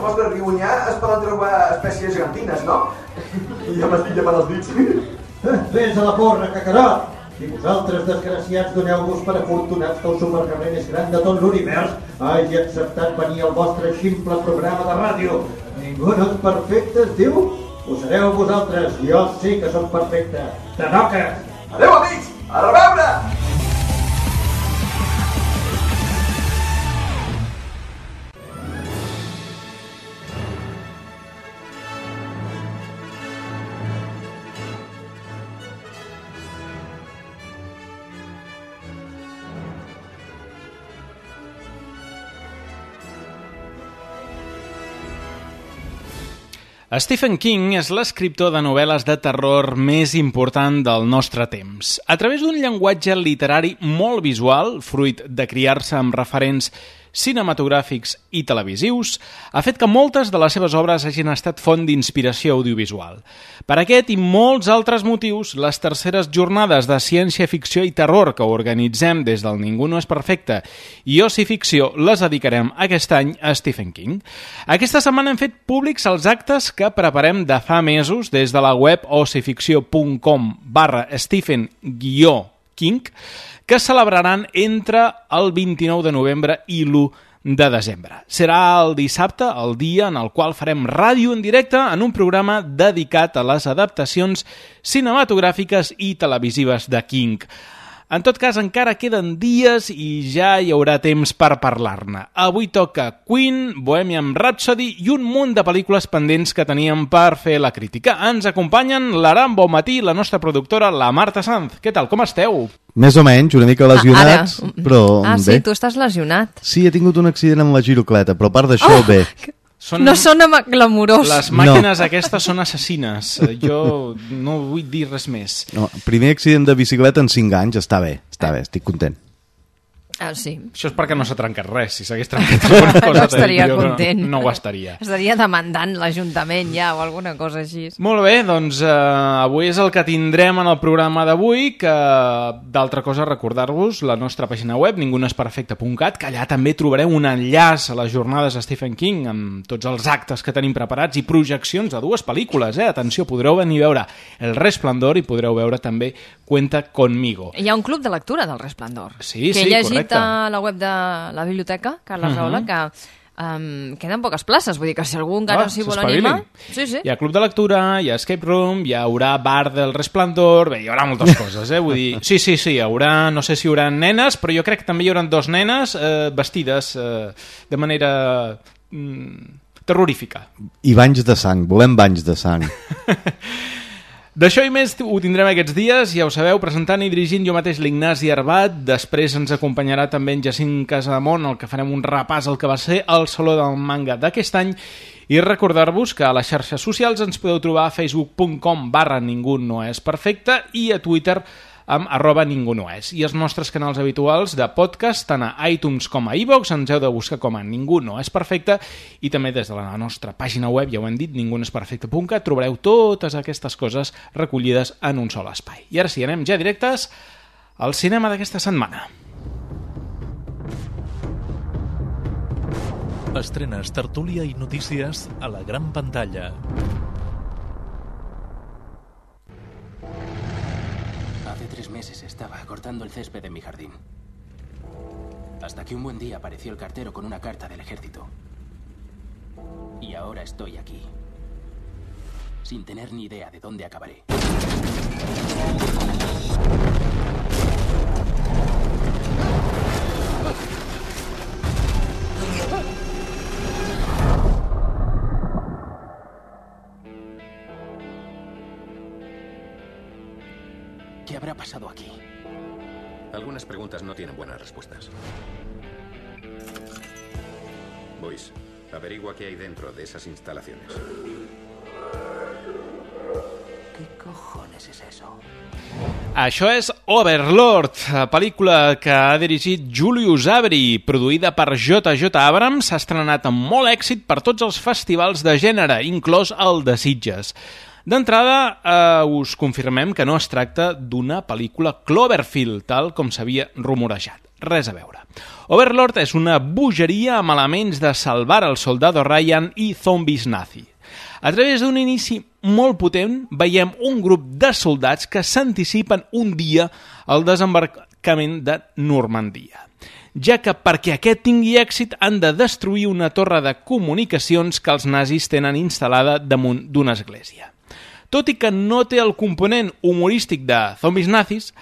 vostre riunyà es poden trobar espècies gegantines, no? I ja m'estic llamant els dits. Vés a la porra, cacarot! Si vosaltres, desgraciats, doneu-vos per afortunats que el supercarrer més gran de tot l'univers hagi acceptat venir al vostre ximple programa de ràdio. Ningú no és perfecte, es diu? Ho sereu vosaltres, jo sí que som perfecte. Tanoques! Adéu, amics! A reveure! Stephen King és l'escriptor de novel·les de terror més important del nostre temps. A través d'un llenguatge literari molt visual, fruit de criar-se amb referents cinematogràfics i televisius, ha fet que moltes de les seves obres hagin estat font d'inspiració audiovisual. Per aquest i molts altres motius, les terceres jornades de ciència-ficció i terror que organitzem des del Ningú no és perfecte i Oci-ficció les dedicarem aquest any a Stephen King. Aquesta setmana hem fet públics els actes que preparem de fa mesos des de la web ocificció.com/Stephen-King, que celebraran entre el 29 de novembre i l'1 de desembre. Serà el dissabte, el dia en el qual farem ràdio en directe en un programa dedicat a les adaptacions cinematogràfiques i televisives de King. En tot cas, encara queden dies i ja hi haurà temps per parlar-ne. Avui toca Queen, Bohemian Rhapsody i un munt de pel·lícules pendents que teníem per fer la crítica. Ens acompanyen l'Aram Bonmatí i la nostra productora, la Marta Sanz. Què tal, com esteu? Més o menys, una mica lesionats, però sí, bé. Tu estàs lesionat. Sí, he tingut un accident amb la girocleta, però a part d'això, bé. No sona glamurós. Les màquines aquestes són assassines. Jo no vull dir res més. No, primer accident de bicicleta en 5 anys, està bé, estic content. Sí. Això és perquè no s'ha trencat res. Si s'hagués trencat alguna cosa, no estaria content. No ho estaria. Estaria demandant l'Ajuntament ja o alguna cosa així. Molt bé, doncs avui és el que tindrem en el programa d'avui, que d'altra cosa recordar-vos la nostra pàgina web, ningunesperfecte.cat, que allà també trobareu un enllaç a les jornades de Stephen King amb tots els actes que tenim preparats i projeccions de 2 pel·lícules. Atenció, podreu venir a veure El Resplandor i podreu veure també Cuenta conmigo. Hi ha un club de lectura del Resplandor. Sí, que sí, correcte. a la web de la biblioteca, Carles Rahola, que queden poques places, vull dir que si algú encara s'hi vol animar... Sí. Hi ha club de lectura, hi ha escape room, hi haurà bar del Resplandor, bé, hi haurà moltes coses, vull dir... Sí, hi haurà, no sé si hi haurà nenes, però jo crec que també hi haurà 2 nenes vestides de manera terrorífica. I banys de sang, volem banys de sang. D'això i més ho tindrem aquests dies, ja ho sabeu, presentant i dirigint jo mateix l'Ignasi Arbat. Després ens acompanyarà també en Jacint Casademont, el que farem un repàs al que va ser el Saló del Manga d'aquest any. I recordar-vos que a les xarxes socials ens podeu trobar a facebook.com/ningunoesperfecte i a Twitter amb @ningunoes. I els nostres canals habituals de podcast, tant a iTunes com a iVoox, ens heu de buscar com a Ningú no és perfecte, i també des de la nostra pàgina web, ja ho hem dit, ningunoesperfecte.cat, trobareu totes aquestes coses recollides en un sol espai. I ara sí, anem ja directes al cinema d'aquesta setmana. Estrenes, tertúlia i notícies a la gran pantalla. Hace 3 meses estaba cortando el césped en mi jardín. Hasta que un buen día apareció el cartero con una carta del ejército. Y ahora estoy aquí. Sin tener ni idea de dónde acabaré. ¿Qué habrá pasado aquí? Algunas preguntas no tienen buenas respuestas. Boyce, averigua qué hay dentro de esas instalaciones. ¿Qué cojones es eso? Això és Overlord, pel·lícula que ha dirigit Julius Avery, produïda per J.J. Abrams, s'ha estrenat amb molt èxit per tots els festivals de gènere, inclòs el de Sitges. D'entrada, us confirmem que no es tracta d'una pel·lícula Cloverfield, tal com s'havia rumorejat. res a veure. Overlord és una bogeria amb elements de Salvar el Soldado Ryan i Zombies Nazi. A través d'un inici molt potent veiem un grup de soldats que s'anticipen un dia al desembarcament de Normandia, ja que perquè aquest tingui èxit han de destruir una torre de comunicacions que els nazis tenen instal·lada damunt d'una església. Tot i que no té el component humorístic de Zombies Nazis,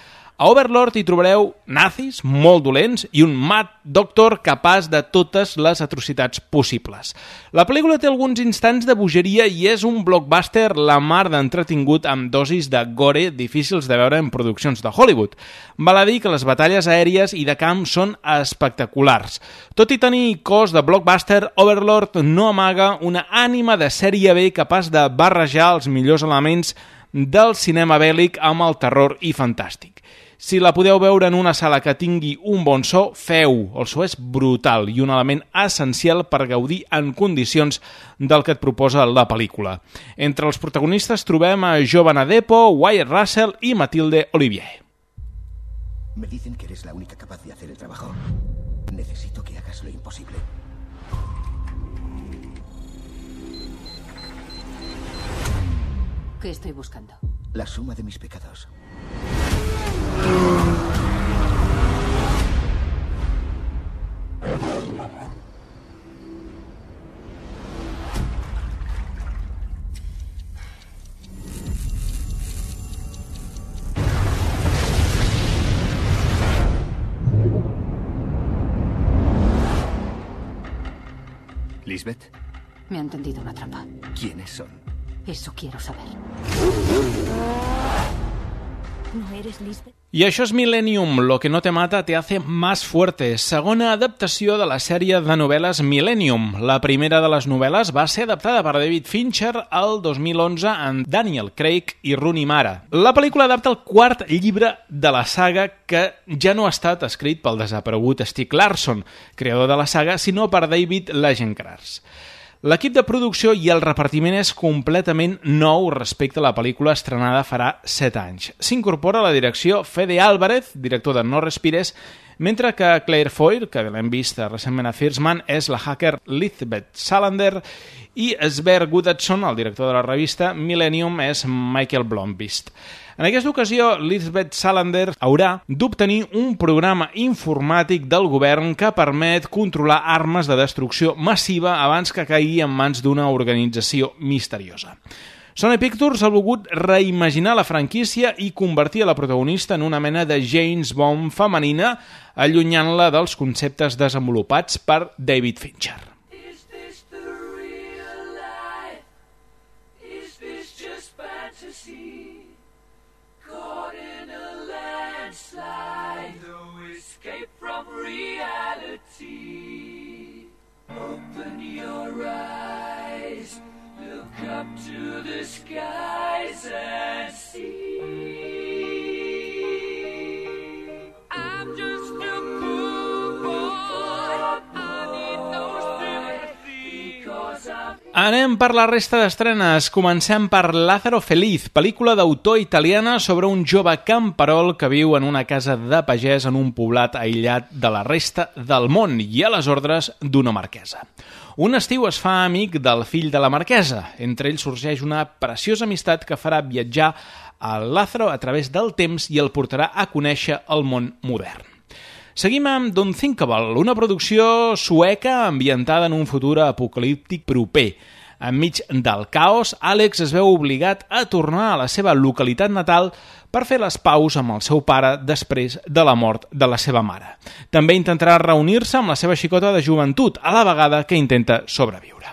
a Overlord hi trobareu nazis molt dolents i un Mad Doctor capaç de totes les atrocitats possibles. La pel·lícula té alguns instants de bogeria i és un blockbuster la mar d'entretingut amb dosis de gore difícils de veure en produccions de Hollywood. Val a dir que les batalles aèries i de camp són espectaculars. Tot i tenir cos de blockbuster, Overlord no amaga una ànima de sèrie B capaç de barrejar els millors elements del cinema bèl·lic amb el terror i fantàstic. Si la podeu veure en una sala que tingui un bon so, feu. El so és brutal i un element essencial per gaudir en condicions del que et proposa la pel·lícula. Entre els protagonistes trobem a Giovanna Depo, Wyatt Russell i Mathilde Olivier. Me dicen que eres la única capaz de hacer el trabajo. Necesito que hagas lo imposible. ¿Qué estoy buscando? La suma de mis pecados. ¿Lisbeth? Me han tendido una trampa. ¿Quiénes son? Eso quiero saber. ¿No eres Lisbeth? I això és Millennium, lo que no te mata te hace más fuerte, segona adaptació de la sèrie de novel·les Millennium. La primera de les novel·les va ser adaptada per David Fincher el 2011 amb Daniel Craig i Rooney Mara. La pel·lícula adapta el quart llibre de la saga que ja no ha estat escrit pel desaparegut Stieg Larsson, creador de la saga, sinó per David Lagercrantz. L'equip de producció i el repartiment és completament nou respecte a la pel·lícula estrenada farà 7 anys. S'incorpora a la direcció Fede Álvarez, director de No Respires, mentre que Claire Foy, que l'hem vist recentment a First Man, és la hacker Lisbeth Salander i Sver Guddason, el director de la revista Millennium, és Michael Blomqvist. En aquesta ocasió, Lisbeth Salander haurà d'obtenir un programa informàtic del govern que permet controlar armes de destrucció massiva abans que caigui en mans d'una organització misteriosa. Sony Pictures ha volgut reimaginar la franquícia i convertir a la protagonista en una mena de James Bond femenina, allunyant-la dels conceptes desenvolupats per David Fincher. Open your eyes, look up to the skies and see. I'm just a cool boy, I need no sympathy, because I'm... Anem per la resta d'estrenes. Comencem per Lázaro Feliz, pel·lícula d'autor italiana sobre un jove camperol que viu en una casa de pagès en un poblat aïllat de la resta del món i a les ordres d'una marquesa. Un estiu es fa amic del fill de la marquesa. Entre ells sorgeix una preciosa amistat que farà viatjar a Lázaro a través del temps i el portarà a conèixer el món modern. Seguim amb Unthinkable, una producció sueca ambientada en un futur apocalíptic proper. Enmig del caos, Àlex es veu obligat a tornar a la seva localitat natal per fer les paus amb el seu pare després de la mort de la seva mare. També intentarà reunir-se amb la seva xicota de joventut, a la vegada que intenta sobreviure.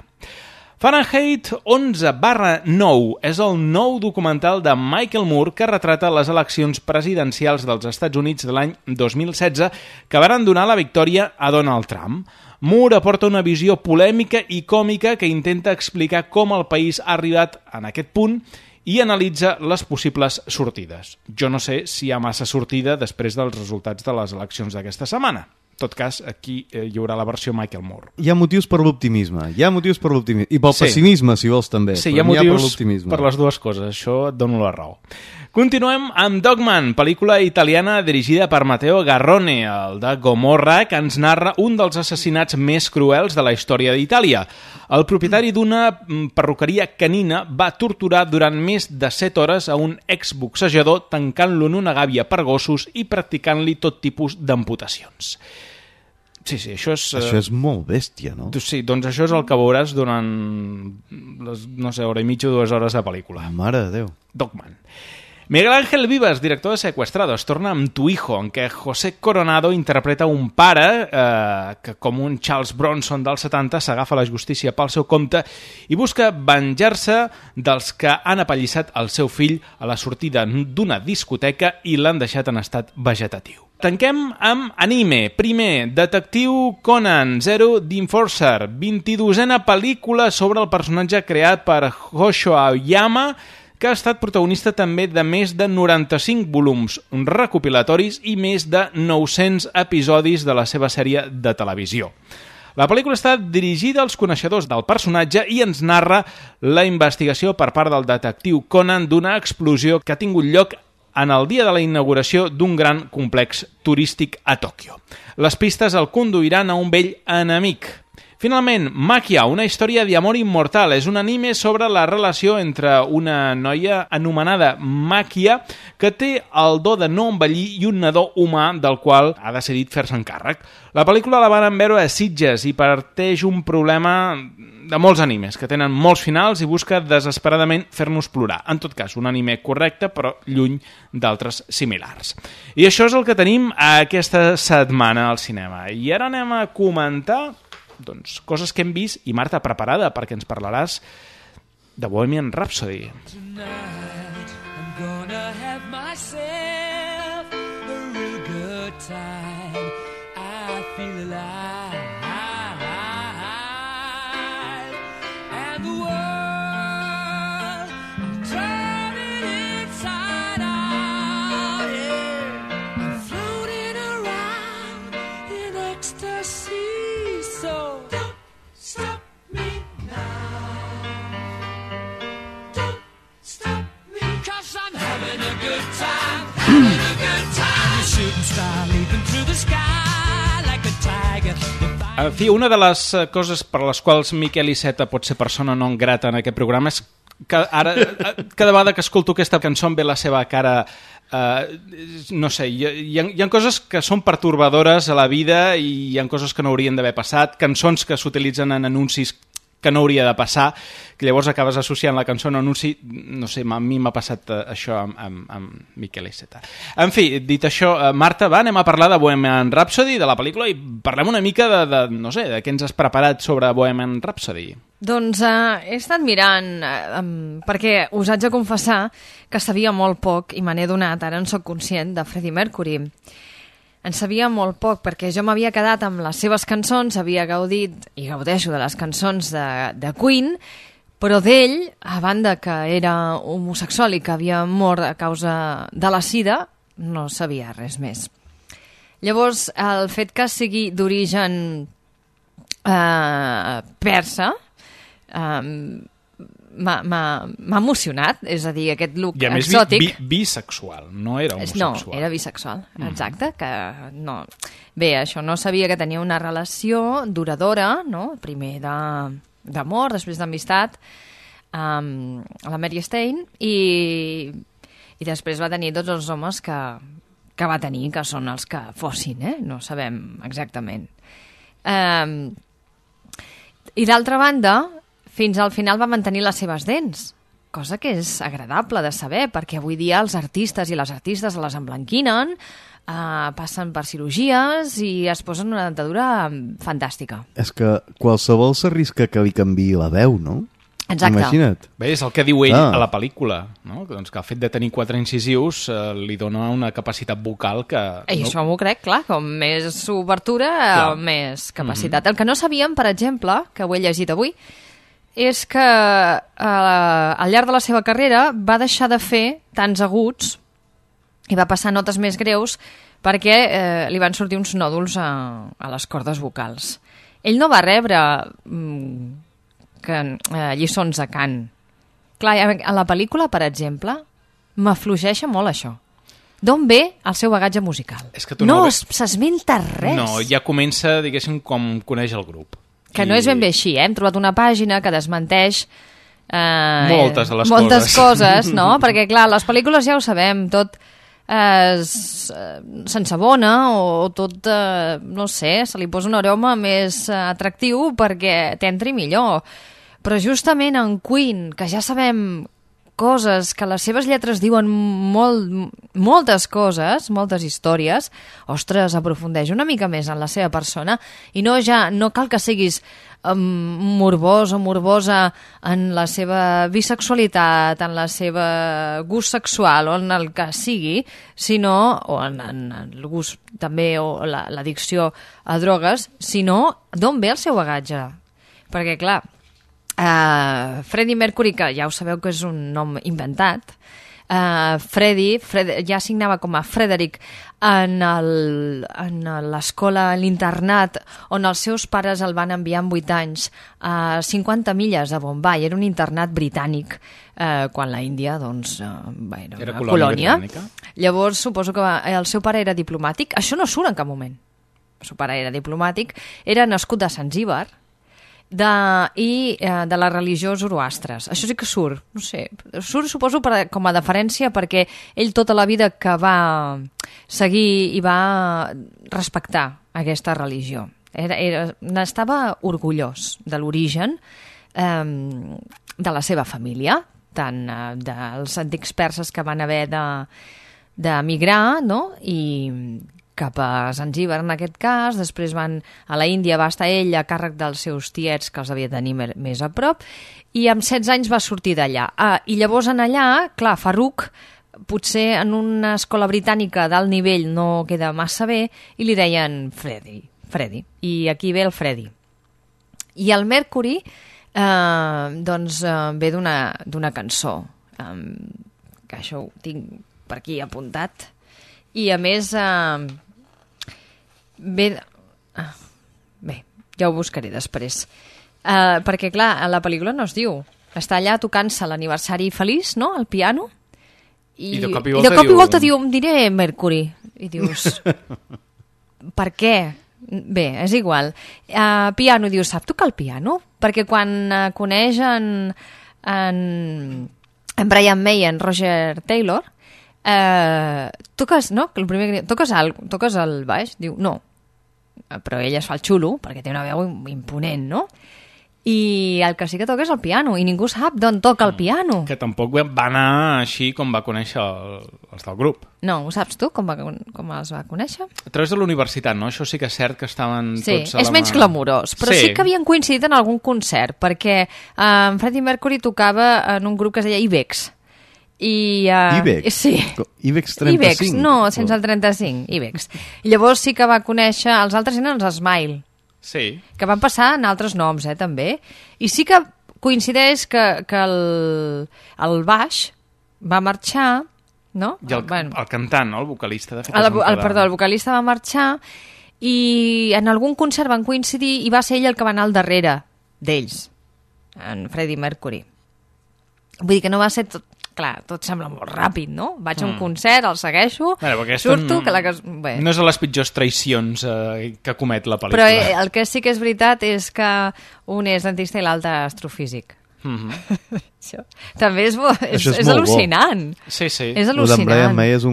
Fahrenheit 11/9 és el nou documental de Michael Moore que retrata les eleccions presidencials dels Estats Units de l'any 2016 que varen donar la victòria a Donald Trump. Moore aporta una visió polèmica i còmica que intenta explicar com el país ha arribat en aquest punt i analitza les possibles sortides. Jo no sé si hi ha massa sortida després dels resultats de les eleccions d'aquesta setmana. tot cas, aquí hi haurà la versió Michael Moore. Hi ha motius per l'optimisme, i pel pessimisme, si vols, també. Sí, hi ha motius per les dues coses, això et dono la raó. Continuem amb Dogman, pel·lícula italiana dirigida per Matteo Garrone, el de Gomorra, que ens narra un dels assassinats més cruels de la història d'Itàlia. El propietari d'una perruqueria canina va torturar durant més de 7 hores a un exboxejador tancant-lo en una gàbia per gossos i practicant-li tot tipus d'amputacions. Sí, això és... Això és molt bèstia, no? Sí, doncs això és el que veuràs durant les, no sé, hora i mitja o 2 hores de pel·lícula. Mare de Déu. Dogman. Miguel Ángel Vivas, director de Secuestrados, torna amb Tu Hijo, en què José Coronado interpreta un pare que, com un Charles Bronson dels 70, s'agafa la justícia pel seu compte i busca venjar-se dels que han apallissat el seu fill a la sortida d'una discoteca i l'han deixat en estat vegetatiu. Tanquem amb anime. Primer, Detectiu Conan, Zero the Enforcer, 22a pel·lícula sobre el personatge creat per Hosho Aoyama, que ha estat protagonista també de més de 95 volums recopilatoris i més de 900 episodis de la seva sèrie de televisió. La pel·lícula està dirigida als coneixedors del personatge i ens narra la investigació per part del detectiu Conan d'una explosió que ha tingut lloc en el dia de la inauguració d'un gran complex turístic a Tòquio. Les pistes el conduiran a un vell enemic. Finalment, Maquia, una història d'amor immortal. És un anime sobre la relació entre una noia anomenada Maquia que té el do de no envellir i un nadó humà del qual ha decidit fer-se encàrrec. La pel·lícula la van veure a Sitges i parteix un problema de molts animes que tenen molts finals i busca desesperadament fer-nos plorar. En tot cas, un anime correcte però lluny d'altres similars. I això és el que tenim aquesta setmana al cinema. I ara anem a comentar coses que hem vist i Marta, preparada perquè ens parlaràs de Bohemian Rhapsody. Tonight I'm gonna have myself a real good time. I feel alive and the world I'm turning inside out, yeah. I'm floating around in ecstasy. So don't stop me now. Don't stop me, 'cause I'm having a good time, having a good time. A shooting star leaping through the sky like a tiger. En fi, una de les coses per les quals Miquel Iceta pot ser persona non grata en aquest programa és que ara, cada vegada que escolto aquesta cançó em ve la seva cara... no sé, hi ha coses que són pertorbadores a la vida i hi ha coses que no haurien d'haver passat, cançons que s'utilitzen en anuncis que no hauria de passar, que llavors acabes associant la cançó a un anunci. No sé, a mi m'ha passat això amb Miquel Iceta. En fi, dit això, Marta, anem a parlar de Bohemian Rhapsody, de la pel·lícula, i parlem una mica no sé, de què ens has preparat sobre Bohemian Rhapsody. Doncs he estat mirant, perquè us haig de confessar que sabia molt poc, i me n'he donat, ara en soc conscient, de Freddie Mercury. En sabia molt poc, perquè jo m'havia quedat amb les seves cançons, havia gaudit i gaudeixo de les cançons de Queen, però d'ell, a banda que era homosexual i que havia mort a causa de la sida, no sabia res més. Llavors, el fet que sigui d'origen persa m'ha emocionat, és a dir, aquest look exòtic. I a més bisexual, no era homosexual. No, era bisexual, exacte. Que no. Bé, això no sabia que tenia una relació duradora, no? Primer d'amor, després d'amistat, a la Mary Stein, i després va tenir tots els homes que va tenir, que són els que fossin, no sabem exactament. I d'altra banda, fins al final va mantenir les seves dents, cosa que és agradable de saber, perquè avui dia els artistes i les artistes les emblanquinen, passen per cirurgies i es posen una dentadura fantàstica. És que qualsevol s'arrisca que li canviï la veu, no? Exacte. Imagina't. Bé, és el que diu ell a la pel·lícula, no? Doncs que el fet de tenir 4 incisius li dona una capacitat vocal que... I això m'ho crec, clar, com més obertura, més capacitat. El que no sabíem, per exemple, que ho he llegit avui, és que al llarg de la seva carrera va deixar de fer tants aguts i va passar notes més greus perquè li van sortir uns nòduls a les cordes vocals. Ell no va rebre lliçons de cant. Clar, a la pel·lícula, per exemple, m'afluixeixa molt això. D'on ve el seu bagatge musical? És que tu no s'esmenta res. No, ja comença, diguéssim, com coneix el grup. Que no és ben bé així, Hem trobat una pàgina que desmenteix moltes de les moltes coses, no? Perquè, clar, les pel·lícules ja ho sabem, tot s'ensabona o tot, no sé, se li posa un aroma més atractiu perquè t'entri millor. Però justament en Queen, que ja sabem coses, que les seves lletres diuen moltes coses, moltes històries, ostres, aprofundeix una mica més en la seva persona i no cal que siguis morbós o morbosa en la seva bisexualitat, en la seva gust sexual o en el que sigui, sinó, o en el gust també o l'addicció a drogues, sinó d'on ve el seu bagatge. Perquè, clar, Freddie Mercury, que ja ho sabeu que és un nom inventat, Freddie ja signava com a Frederick en l'escola, en l'internat, on els seus pares el van enviar amb 8 anys a 50 milles de Bombay. Era un internat britànic, quan la Índia doncs, era una colònia. Llavors suposo que el seu pare era diplomàtic. Això no surt en cap moment. El seu pare era diplomàtic, era nascut a Zanzíbar, i de la religió zoroastres. Això sí que surt, no sé, surt suposo com a deferència perquè ell tota la vida que va seguir i va respectar aquesta religió. N'estava orgullós de l'origen de la seva família, tant dels antics perses que van haver d'emigrar, no?, i cap a Zanzíbar en aquest cas, després van a la Índia, va estar ell a càrrec dels seus tiets que els havia de tenir més a prop, i amb 16 anys va sortir d'allà. I llavors en allà, clar, Farouk potser en una escola britànica d'alt nivell no queda massa bé i li deien Freddy, i aquí ve el Freddy. I el Mercury doncs ve d'una cançó, que això ho tinc per aquí apuntat, i a més bé, ja ho buscaré després, perquè clar, a la pel·lícula no es diu, està allà tocant-se l'aniversari feliç, no?, al piano, i de cop i volta diu, em diré Mercury, i dius per què? Bé, és igual. Piano, diu, sap tocar el piano? Perquè quan coneix en Brian May i en Roger Taylor, toques, no? El primer que diu, toques el baix? Diu, no. Però ell es fa el xulo, perquè té una veu imponent, no? I el que sí que toca és el piano, i ningú sap d'on toca el piano. Que tampoc va anar així com va conèixer els del grup. No, ho saps tu, com els va conèixer? A través de la universitat, no? Això sí que és cert que estaven tots a la mà. Sí, és menys glamurós, però sí que havien coincidit en algun concert, perquè en Freddie Mercury tocava en un grup que es deia Ibex. Ibex? Sí. Ibex 35? Ibex, no, sense el 35, Ibex. I llavors sí que va conèixer, els altres eren els Smile, sí, que van passar en altres noms, també. I sí que coincideix que el baix va marxar, no? I el cantant, no? El vocalista, de fet. Perdó, el vocalista va marxar i en algun concert van coincidir i va ser ell el que va anar al darrere d'ells, en Freddie Mercury. Vull dir que no va ser tot... Clar, tot sembla molt ràpid, no? Vaig a un concert, el segueixo, surto... No és a les pitjors traïcions que comet la pel·lícula. Però el que sí que és veritat és que un és dentista i l'altre astrofísic. Això també és al·lucinant. Sí, sí. És al·lucinant. El d'en Brian May és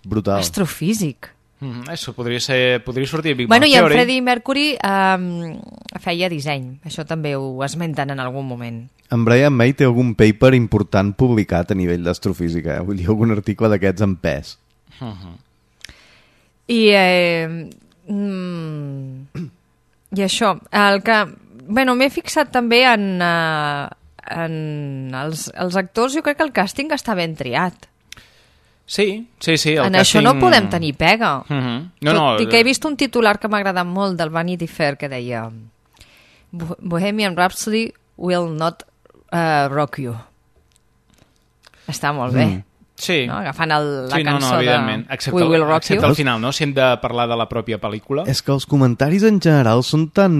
brutal. Astrofísic. Això podria sortir Big Bang Theory. I en Freddie Mercury feia disseny. Això també ho esmenten en algun moment. En Brian May té algun paper important publicat a nivell d'astrofísica, vull dir, algun article d'aquests en pes. I això, el que... Bueno, m'he fixat també en els actors, jo crec que el càsting està ben triat. Sí. En això no podem tenir pega. Tot i que he vist un titular que m'ha agradat molt del Vanity Fair que deia Bohemian Rhapsody will not rock you. Està molt bé. Sí. No? Agafant la sí, cançó de excepte, We Will Rock You. excepte al final, no? Si hem de parlar de la pròpia pel·lícula. És que els comentaris en general són tan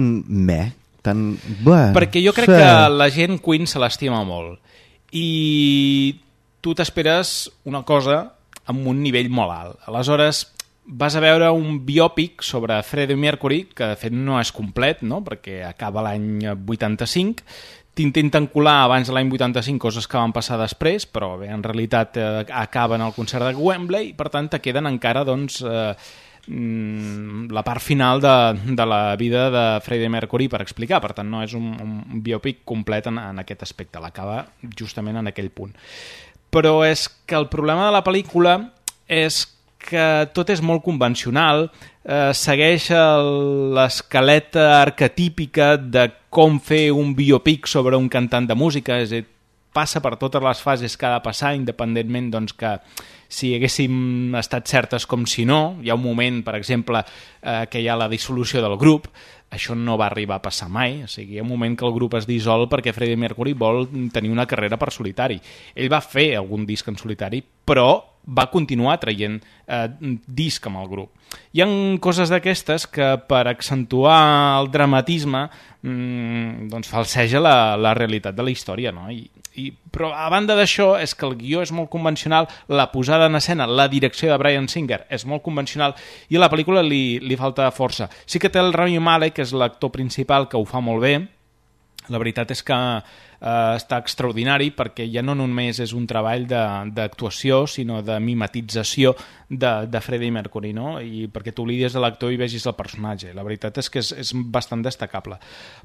tan... Bé, perquè jo crec que la gent Queen se l'estima molt i tu t'esperes una cosa amb un nivell molt alt. Aleshores, vas a veure un biòpic sobre Freddie Mercury, que de fet no és complet, no? Perquè acaba l'any 85, t'intenten colar abans de l'any 85 coses que van passar després, però bé, en realitat acaben el concert de Wembley i per tant te queden encara doncs, la part final de la vida de Freddie Mercury per explicar, per tant no és un biòpic complet en aquest aspecte, l'acaba justament en aquell punt. Però és que el problema de la pel·lícula és que tot és molt convencional, segueix l'escaleta arquetípica de com fer un biopic sobre un cantant de música, és a dir, passa per totes les fases que ha de passar, independentment doncs, que si haguéssim estat certes com si no. Hi ha un moment, per exemple, que hi ha la dissolució del grup, això no va arribar a passar mai, o sigui, hi ha un moment que el grup es dissol perquè Freddie Mercury vol tenir una carrera per solitari. Ell va fer algun disc en solitari, però va continuar traient disc amb el grup. Hi ha coses d'aquestes que per accentuar el dramatisme doncs falseja la realitat de la història, no? Però a banda d'això és que el guió és molt convencional, la posada en escena, la direcció de Bryan Singer és molt convencional i a la pel·lícula li falta força. Sí que té el Rami Malek, que és l'actor principal, que ho fa molt bé. La veritat és que està extraordinari perquè ja no només és un treball d'actuació sinó de mimetització de Freddie Mercury, no? I perquè t'oblides de l'actor i vegis el personatge. La veritat és que és bastant destacable.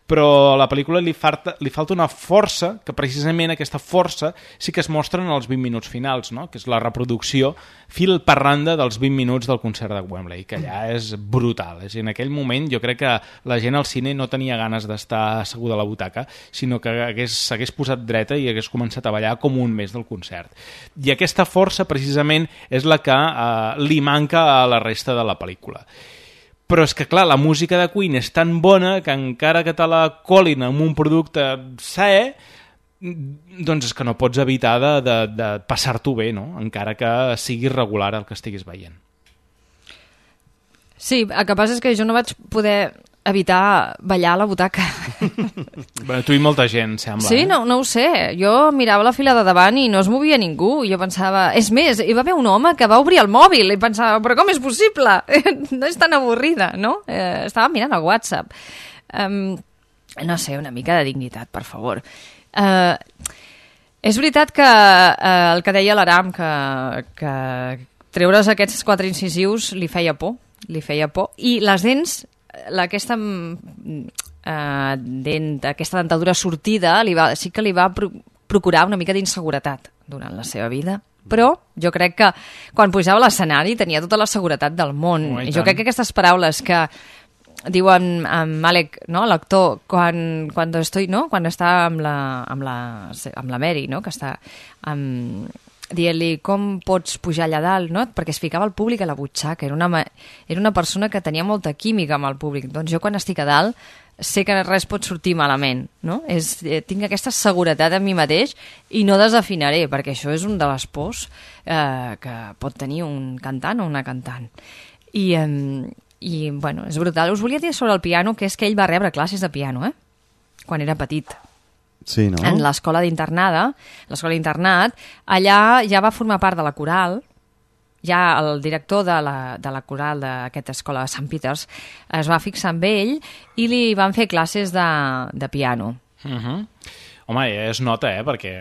Però a la pel·lícula li falta una força, que precisament aquesta força sí que es mostra en els 20 minuts finals, no? Que és la reproducció fil per randa dels 20 minuts del concert de Wembley, que allà és brutal. És a dir, en aquell moment jo crec que la gent al cine no tenia ganes d'estar asseguda a la butaca, sinó que s'hagués posat dreta i hagués començat a ballar com un mes del concert. I aquesta força precisament és la que li manca a la resta de la pel·lícula. Però és que, clar, la música de Queen és tan bona que encara que te la colin amb un producte saé, doncs és que no pots evitar de passar-t'ho bé, no? Encara que sigui regular el que estiguis veient. Sí, el que passa és que jo no vaig poder evitar ballar a la butaca. Bueno, tu i molta gent, sembla. Sí, no ho sé. Jo mirava la fila de davant i no es movia ningú. I jo pensava... És més, hi va haver un home que va obrir el mòbil i pensava, però com és possible? No és tan avorrida, no? Estava mirant el WhatsApp. No sé, una mica de dignitat, per favor. És veritat que el que deia l'Aram, que treure's aquests 4 incisius li feia por. I les dents... aquesta dentadura sortida sí que li va procurar una mica d'inseguretat durant la seva vida, però jo crec que quan pujava a l'escenari tenia tota la seguretat del món. I jo crec que aquestes paraules que diuen Malek, no, l'actor, quan està amb la Mary, no, que està dient-li com pots pujar allà dalt, no? Perquè es ficava el públic a la butxaca, era una persona que tenia molta química amb el públic. Doncs jo quan estic a dalt sé que res pot sortir malament, no? Tinc aquesta seguretat en mi mateix i no desafinaré, perquè això és un de les pors que pot tenir un cantant o una cantant. I bueno, és brutal. Us volia dir sobre el piano, que és que ell va rebre classes de piano, quan era petit. Sí, no? En l'escola d'internat, allà ja va formar part de la coral, ja el director de la coral d'aquesta escola de Sant Peters es va fixar amb ell i li van fer classes de piano. Home, es nota, perquè...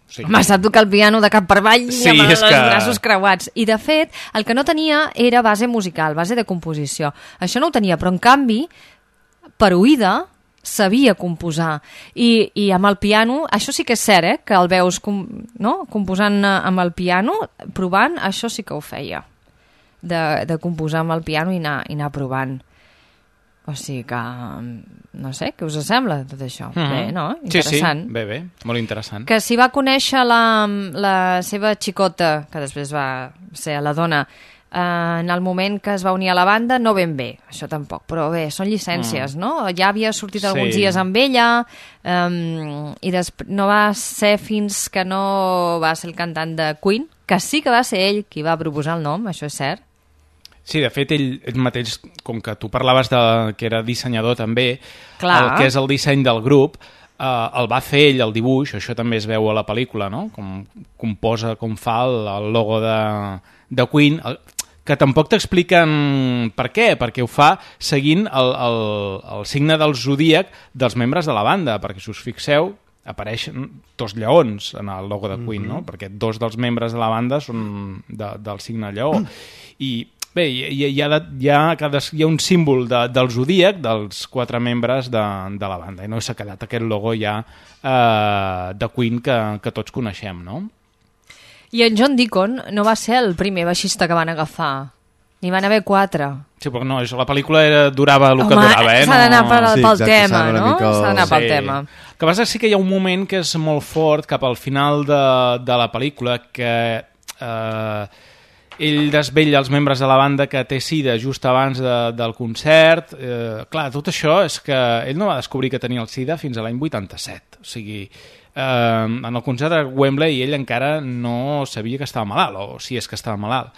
Sí. Home, sap tocar el piano de cap per avall i amb els braços creuats. I, de fet, el que no tenia era base musical, base de composició. Això no ho tenia, però, en canvi, per oïda, sabia composar. I amb el piano, això sí que és cert, que el veus composant amb el piano, provant, això sí que ho feia. De composar amb el piano i anar provant. O sigui que, no sé, què us sembla tot això? Bé, no? Interessant. Sí, bé, molt interessant. Que si va conèixer la seva xicota, que després va ser la dona, en el moment que es va unir a la banda, no ben bé, això tampoc, però bé, són llicències, no? Ja havia sortit alguns dies amb ella, i no va ser fins que no va ser el cantant de Queen, que sí que va ser ell qui va proposar el nom, això és cert. Sí, de fet, ell mateix, com que tu parlaves que era dissenyador també, Clar. El que és el disseny del grup, el va fer ell, el dibuix, això també es veu a la pel·lícula, no? Com posa, com fa el logo de Queen, que tampoc t'expliquen per què, perquè ho fa seguint el signe del zodíac dels membres de la banda, perquè si us fixeu, apareixen 2 lleons en el logo de Queen, no? Perquè 2 dels membres de la banda són del signe lleó. I bé, hi ha un símbol del zodíac dels 4 membres de la banda, i no s'ha quedat aquest logo ja de Queen que tots coneixem, no? I en John Deacon no va ser el primer baixista que van agafar. N'hi van haver 4. Sí, però no, la pel·lícula durava el que durava, eh? S'ha d'anar pel tema, no? S'ha d'anar pel tema. El que passa és que hi ha un moment que és molt fort cap al final de la pel·lícula que ell desvetlla els membres de la banda que té sida just abans del concert. Clar, tot això és que ell no va descobrir que tenia el sida fins a l'any 87. O sigui, en el concert de Wembley ell encara no sabia que estava malalt, o si és que estava malalt.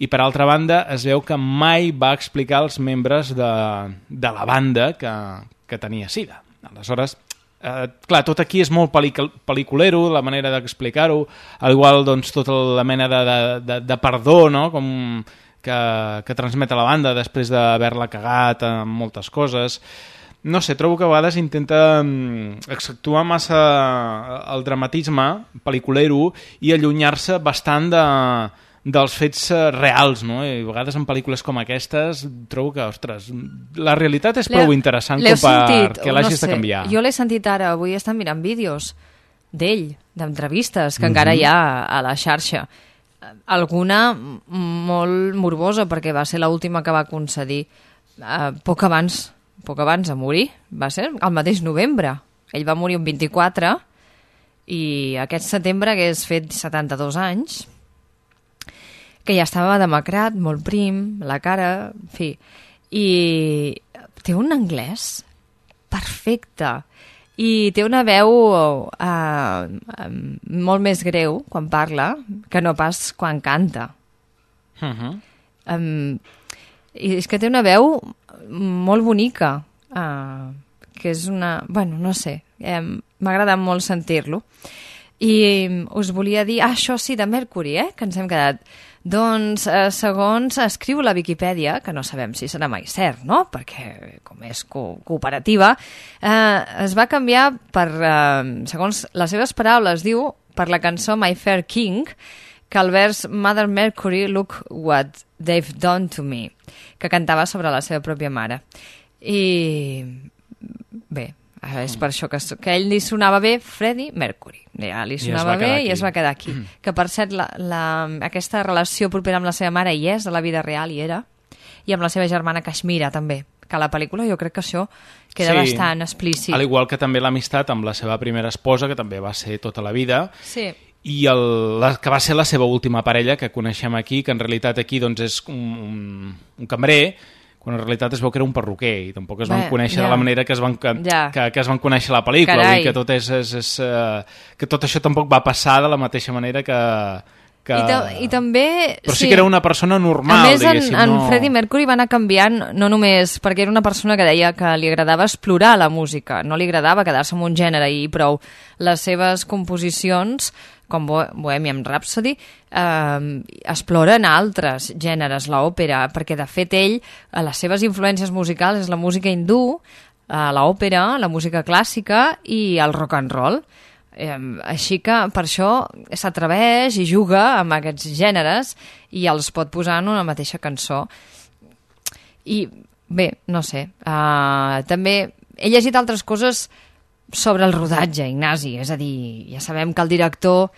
I per altra banda es veu que mai va explicar als membres de la banda que tenia sida. Aleshores, clar, tot aquí és molt pel·liculero, la manera d'explicar-ho, al igual doncs, tota la mena de perdó, no? Com que transmet a la banda després d'haver-la cagat en moltes coses. No sé, trobo que a vegades intenta accentuar massa el dramatisme pel·liculero i allunyar-se bastant dels fets reals, no? I a vegades en pel·lícules com aquestes trobo que, ostres, la realitat és prou interessant com perquè l'hagis de canviar. Jo l'he sentit ara, avui estan mirant vídeos d'ell, d'entrevistes que encara hi ha a la xarxa. Alguna molt morbosa, perquè va ser l'última que va concedir poc abans de morir, va ser el mateix novembre. Ell va morir un 24 i aquest setembre hagués fet 72 anys, que ja estava demacrat, molt prim, la cara, en fi. I té un anglès perfecte i té una veu molt més greu quan parla que no pas quan canta. I és que té una veu molt bonica, que és una... Bueno, no sé, m'ha agradat molt sentir-lo. I us volia dir, això sí, de Mercury, que ens hem quedat. Doncs, segons escriu la Viquipèdia, que no sabem si serà mai cert, no?, perquè com és cooperativa, es va canviar per, segons les seves paraules, diu, per la cançó My Fair King, que el vers Mother Mercury, look what they've done to me, que cantava sobre la seva pròpia mare. I bé, és per això que a ell li sonava bé Freddie Mercury. Ja li sonava bé i es va quedar aquí. Que per cert, aquesta relació propera amb la seva mare hi és, a la vida real hi era, i amb la seva germana Kashmira també, que a la pel·lícula jo crec que això queda bastant explícit. Al igual que també l'amistat amb la seva primera esposa, que també va ser tota la vida, i que va ser la seva última parella, que coneixem aquí, que en realitat aquí doncs, és un cambrer, quan en realitat es veu que era un perruquer i tampoc es van conèixer de la manera que es van conèixer a la pel·lícula. Vull dir que que tot això tampoc va passar de la mateixa manera que... I també... Però sí que era una persona normal, diguéssim. A més, en Freddie Mercury va anar canviant, no només perquè era una persona que deia que li agradava explorar la música, no li agradava quedar-se en un gènere i prou. Les seves composicions, com Bohemian Rhapsody, exploren altres gèneres, l'òpera, perquè de fet ell, les seves influències musicals és la música hindú, l'òpera, la música clàssica i el rock and roll. Així que per això s'atreveix i juga amb aquests gèneres i els pot posar en una mateixa cançó. I bé, no sé, també he llegit altres coses sobre el rodatge, Ignasi, és a dir, ja sabem que el director...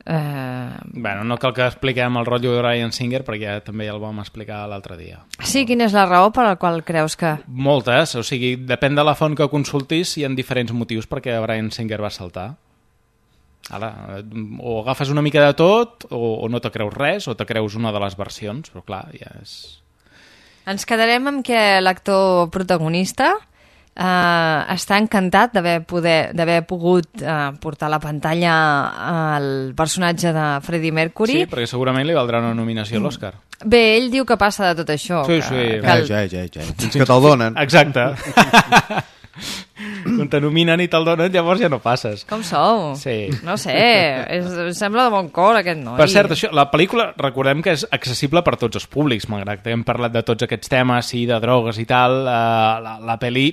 Bueno, no cal que expliquem el rotllo de Bryan Singer perquè també ja el vam explicar l'altre dia. Sí, quina és la raó per la qual creus que... Moltes, o sigui, depèn de la font que consultis, hi ha diferents motius perquè Bryan Singer va saltar. Ara, o agafes una mica de tot o no te creus res, o te creus una de les versions, però clar, ja és... Ens quedarem amb que l'actor protagonista està encantat d'haver pogut portar a la pantalla el personatge de Freddie Mercury. Sí, perquè segurament li valdrà una nominació a l'Oscar. Bé, ell diu que passa de tot això. Sí, Fins que te'l donen. Exacte. Quan te nominen i te'l donen, llavors ja no passes. Com sou? Sí. No sé, sembla de bon cor aquest noi. Per cert, la pel·lícula, recordem que és accessible per tots els públics, malgrat que hem parlat de tots aquests temes, sí, de drogues i tal, la pel·li...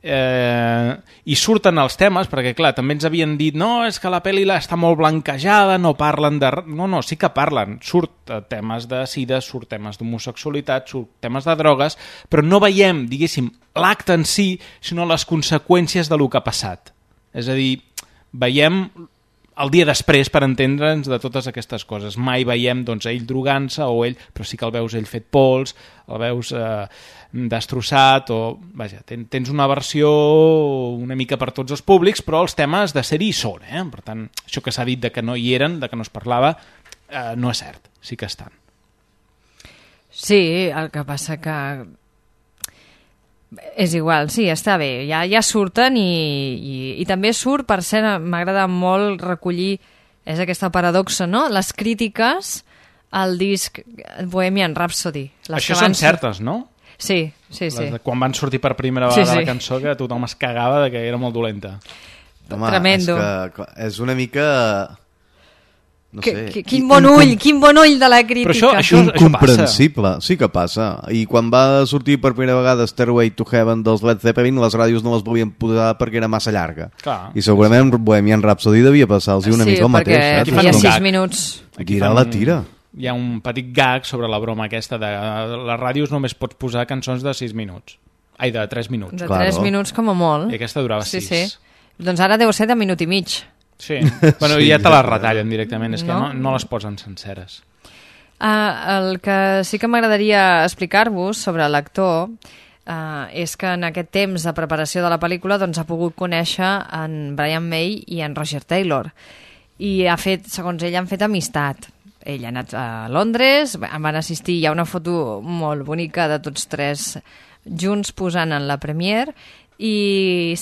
i surten els temes, perquè clar, també ens havien dit no, és que la pel·li està molt blanquejada, no parlen de... No, sí que parlen, surt temes de sida, surt temes d'homosexualitat, surt temes de drogues, però no veiem, diguéssim, l'acte en si, sinó les conseqüències de lo que ha passat. És a dir, veiem el dia després per entendre'ns de totes aquestes coses. Mai veiem doncs, ell drogant-se o ell, però sí que el veus ell fet pols, el veus destrossat o... Vaja, tens una versió una mica per tots els públics, però els temes de ser-hi són. Per tant, això que s'ha dit de que no hi eren, de que no es parlava, no és cert, sí que estan. Sí, el que passa que... És igual, sí, està bé, ja surten i també surt, per cert, m'agrada molt recollir, és aquesta paradoxa, no? Les crítiques al disc Bohemian Rhapsody. Això són certes, no? Sí. Quan van sortir per primera vegada la cançó, que tothom es cagava de que era molt dolenta. Home, tremendo. És una mica... No sé. Quin bon ull de la crítica. Però això incomprensible, sí que passa. I quan va sortir per primera vegada Stairway to Heaven dels Led Zeppelin, les ràdios no les volien posar perquè era massa llarga. Clar. I segurament Bohemian Rhapsody devia passar-los una mica el mateix. Sí, perquè feia 6 minuts. Tira la tira. Hi ha un petit gag sobre la broma aquesta de les ràdios només pots posar cançons de 6 minuts. Ai, de 3 minuts. De 3 minuts com a molt. I aquesta durava 6. Sí. Doncs ara deu ser de minut i mig. Sí, bueno, ja te les retallen directament, és que no les posen senceres. El que sí que m'agradaria explicar-vos sobre l'actor és que en aquest temps de preparació de la pel·lícula doncs, ha pogut conèixer en Brian May i en Roger Taylor i segons ell han fet amistat. Ell ha anat a Londres, van assistir, hi ha una foto molt bonica de tots tres junts posant en la premiere i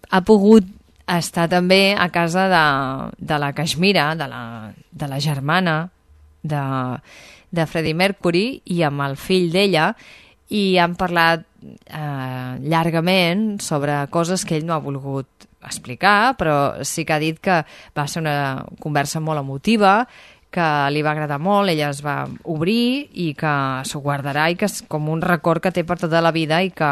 ha pogut està també a casa de la Kashmira, de la germana de Freddie Mercury i amb el fill d'ella i han parlat llargament sobre coses que ell no ha volgut explicar, però sí que ha dit que va ser una conversa molt emotiva, que li va agradar molt, ella es va obrir i que s'ho guardarà i que és com un record que té per tota la vida i que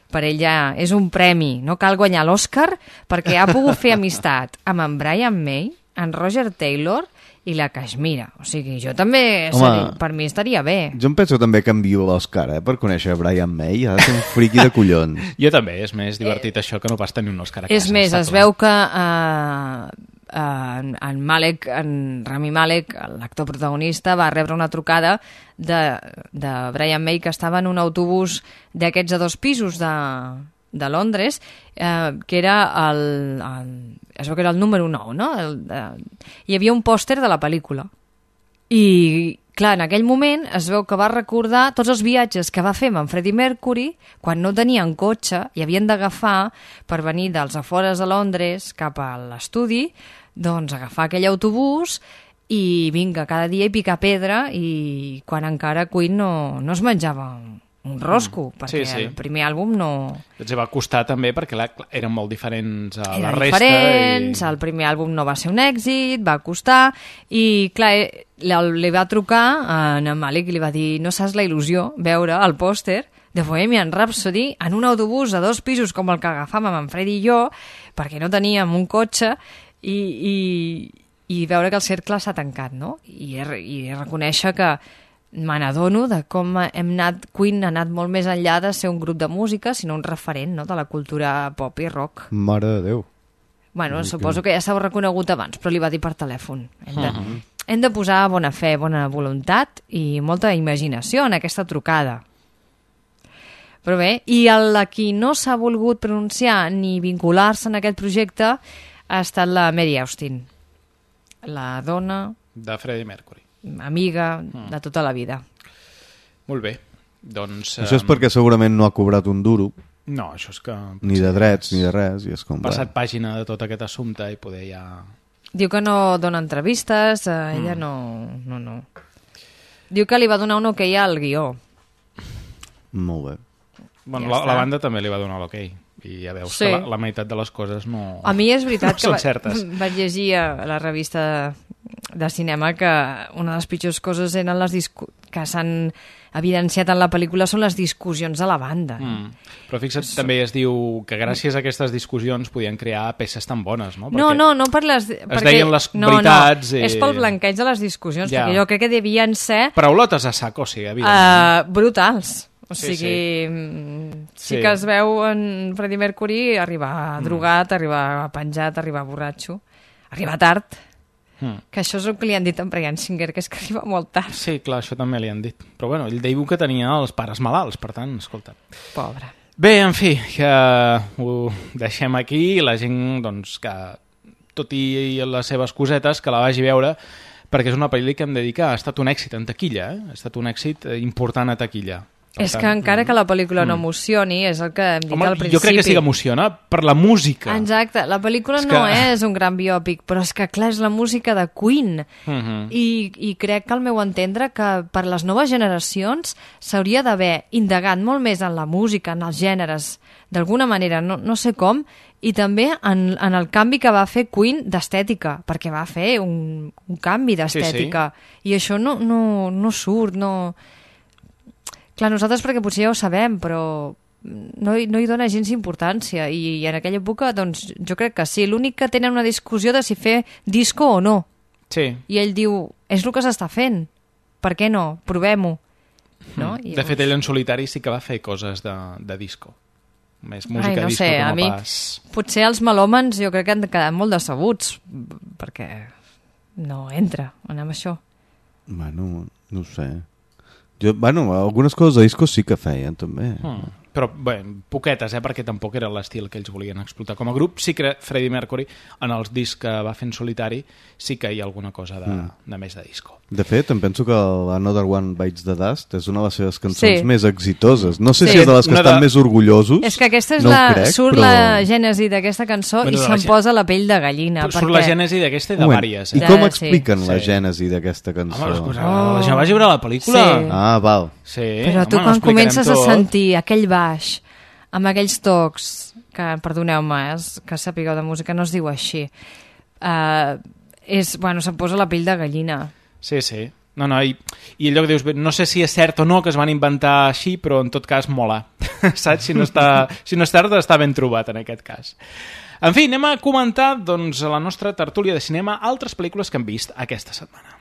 per ella és un premi, no cal guanyar l'Oscar perquè ha pogut fer amistat amb en Brian May, en Roger Taylor i la Kashmira. O sigui, jo també, per mi estaria bé. Jo em penso també que envio l'Oscar, per conèixer Brian May, ha de ser un friqui de collons. Jo també, és més divertit això que no pas tenir un Oscar a casa. És més, es veu que en Rami Malek, l'actor protagonista, va rebre una trucada de Brian May que estava en un autobús d'aquests de 2 pisos de Londres, que era es veu que era el número 9, no? Hi havia un pòster de la pel·lícula. I, clar, en aquell moment es veu que va recordar tots els viatges que va fer amb en Freddie Mercury quan no tenien cotxe i havien d'agafar per venir dels afores de Londres cap a l'estudi, doncs agafar aquell autobús i vinga, cada dia i picar pedra i quan encara Queen no es menjava un rosco, perquè el primer àlbum no... Va costar també perquè eren molt diferents a la Eren resta. diferents, el primer àlbum no va ser un èxit, va costar, i clar, li va trucar a en Malik i li va dir no saps la il·lusió veure el pòster de Bohemian Rhapsody en un autobús de 2 pisos com el que agafàvem en Freddy i jo, perquè no teníem un cotxe, i veure que el cercle s'ha tancat, no? I reconèixer que me n'adono de com Queen ha anat molt més enllà de ser un grup de música, sinó un referent, no?, de la cultura pop i rock. Mare de Déu. Bueno, suposo que ja s'ha reconegut abans, però li va dir per telèfon. Hem de posar bona fe, bona voluntat i molta imaginació en aquesta trucada. Però bé, i a qui no s'ha volgut pronunciar ni vincular-se en aquest projecte ha estat la Mary Austin, la dona... De Freddie Mercury. Amiga de tota la vida. Molt bé. Doncs, això és perquè segurament no ha cobrat un duro. No, això és que... Ni de drets, ni de res. I és com, passat pàgina de tot aquest assumpte i poder ja... Diu que no dona entrevistes, ella no. Diu que li va donar un ok al guió. Molt bé. Bueno, la banda també li va donar l'ok. I ja veus que la meitat de les coses no... A mi és veritat no que vaig llegir a la revista de cinema que una de les pitjors coses eren que s'han evidenciat en la pel·lícula són les discussions de la banda. Però fixa't, també es diu que gràcies a aquestes discussions podien crear peces tan bones, no? No per les... Es deien les veritats... És pel blanqueig de les discussions, perquè jo crec que devien ser... Paraulotes a saco, sí, evidentment. Brutals. O sigui, sí que es veu en Freddie Mercury arribar drogat, arribar penjat, arribar borratxo, arribar tard, que això és el que li han dit a Bryan Singer, que és que arriba molt tard. Sí, clar, això també li han dit. Però bueno, ell diu que tenia els pares malalts, per tant, escolta. Pobre. Bé, en fi, que ho deixem aquí i la gent, doncs, que tot i les seves cosetes, que la vagi a veure, perquè és una pel·lícula que hem de dir que ha estat un èxit en taquilla, ha estat un èxit important a taquilla. És que encara que la pel·lícula no emocioni, és el que hem dit al principi. Jo crec que sí que emociona per la música. Exacte, la pel·lícula no és un gran biòpic, però és que clar, és la música de Queen. I crec que al meu entendre que per les noves generacions s'hauria d'haver indagat molt més en la música, en els gèneres, d'alguna manera, no sé com, i també en el canvi que va fer Queen d'estètica, perquè va fer un canvi d'estètica. I això no surt, no... Clar, nosaltres perquè potser ja ho sabem, però no hi dona gens importància. I en aquella època, doncs, jo crec que sí. L'únic que tenen una discussió de si fer disco o no. Sí. I ell diu, és el que s'està fent. Per què no? Provem-ho. No? De fet, ell en solitari sí que va fer coses de disco. Més música no disco sé, com a a mi, pas. Potser els melòmens jo crec que han quedat molt decebuts, perquè no entra amb això. Bueno, no ho sé. Algunes coses de discos sí que feien, també. Però, bé, poquetes, perquè tampoc era l'estil que ells volien explotar com a grup. Sí que Freddie Mercury, en els discs que va fer en solitari, sí que hi ha alguna cosa de més de disco. De fet, em penso que Another One Bites the Dust és una de les seves cançons més exitoses. No sé si és de les que estan més orgullosos. És que aquesta és surt la gènesi d'aquesta cançó i se'm posa la pell de gallina. Surt la gènesi d'aquesta i de vàries. I com expliquen la gènesi d'aquesta cançó? Home, la gent va veure la pel·lícula. Ah, val. Però tu quan comences a sentir aquell baix amb aquells tocs, que perdoneu-me, que sapigueu de música, no es diu així, se'm posa la pell de gallina. Sí. No, i allò que dius, no sé si és cert o no que es van inventar així, però en tot cas mola. Saps? Si no és cert, està ben trobat en aquest cas. En fi, anem a comentar doncs, a la nostra tertúlia de cinema altres pel·lícules que hem vist aquesta setmana.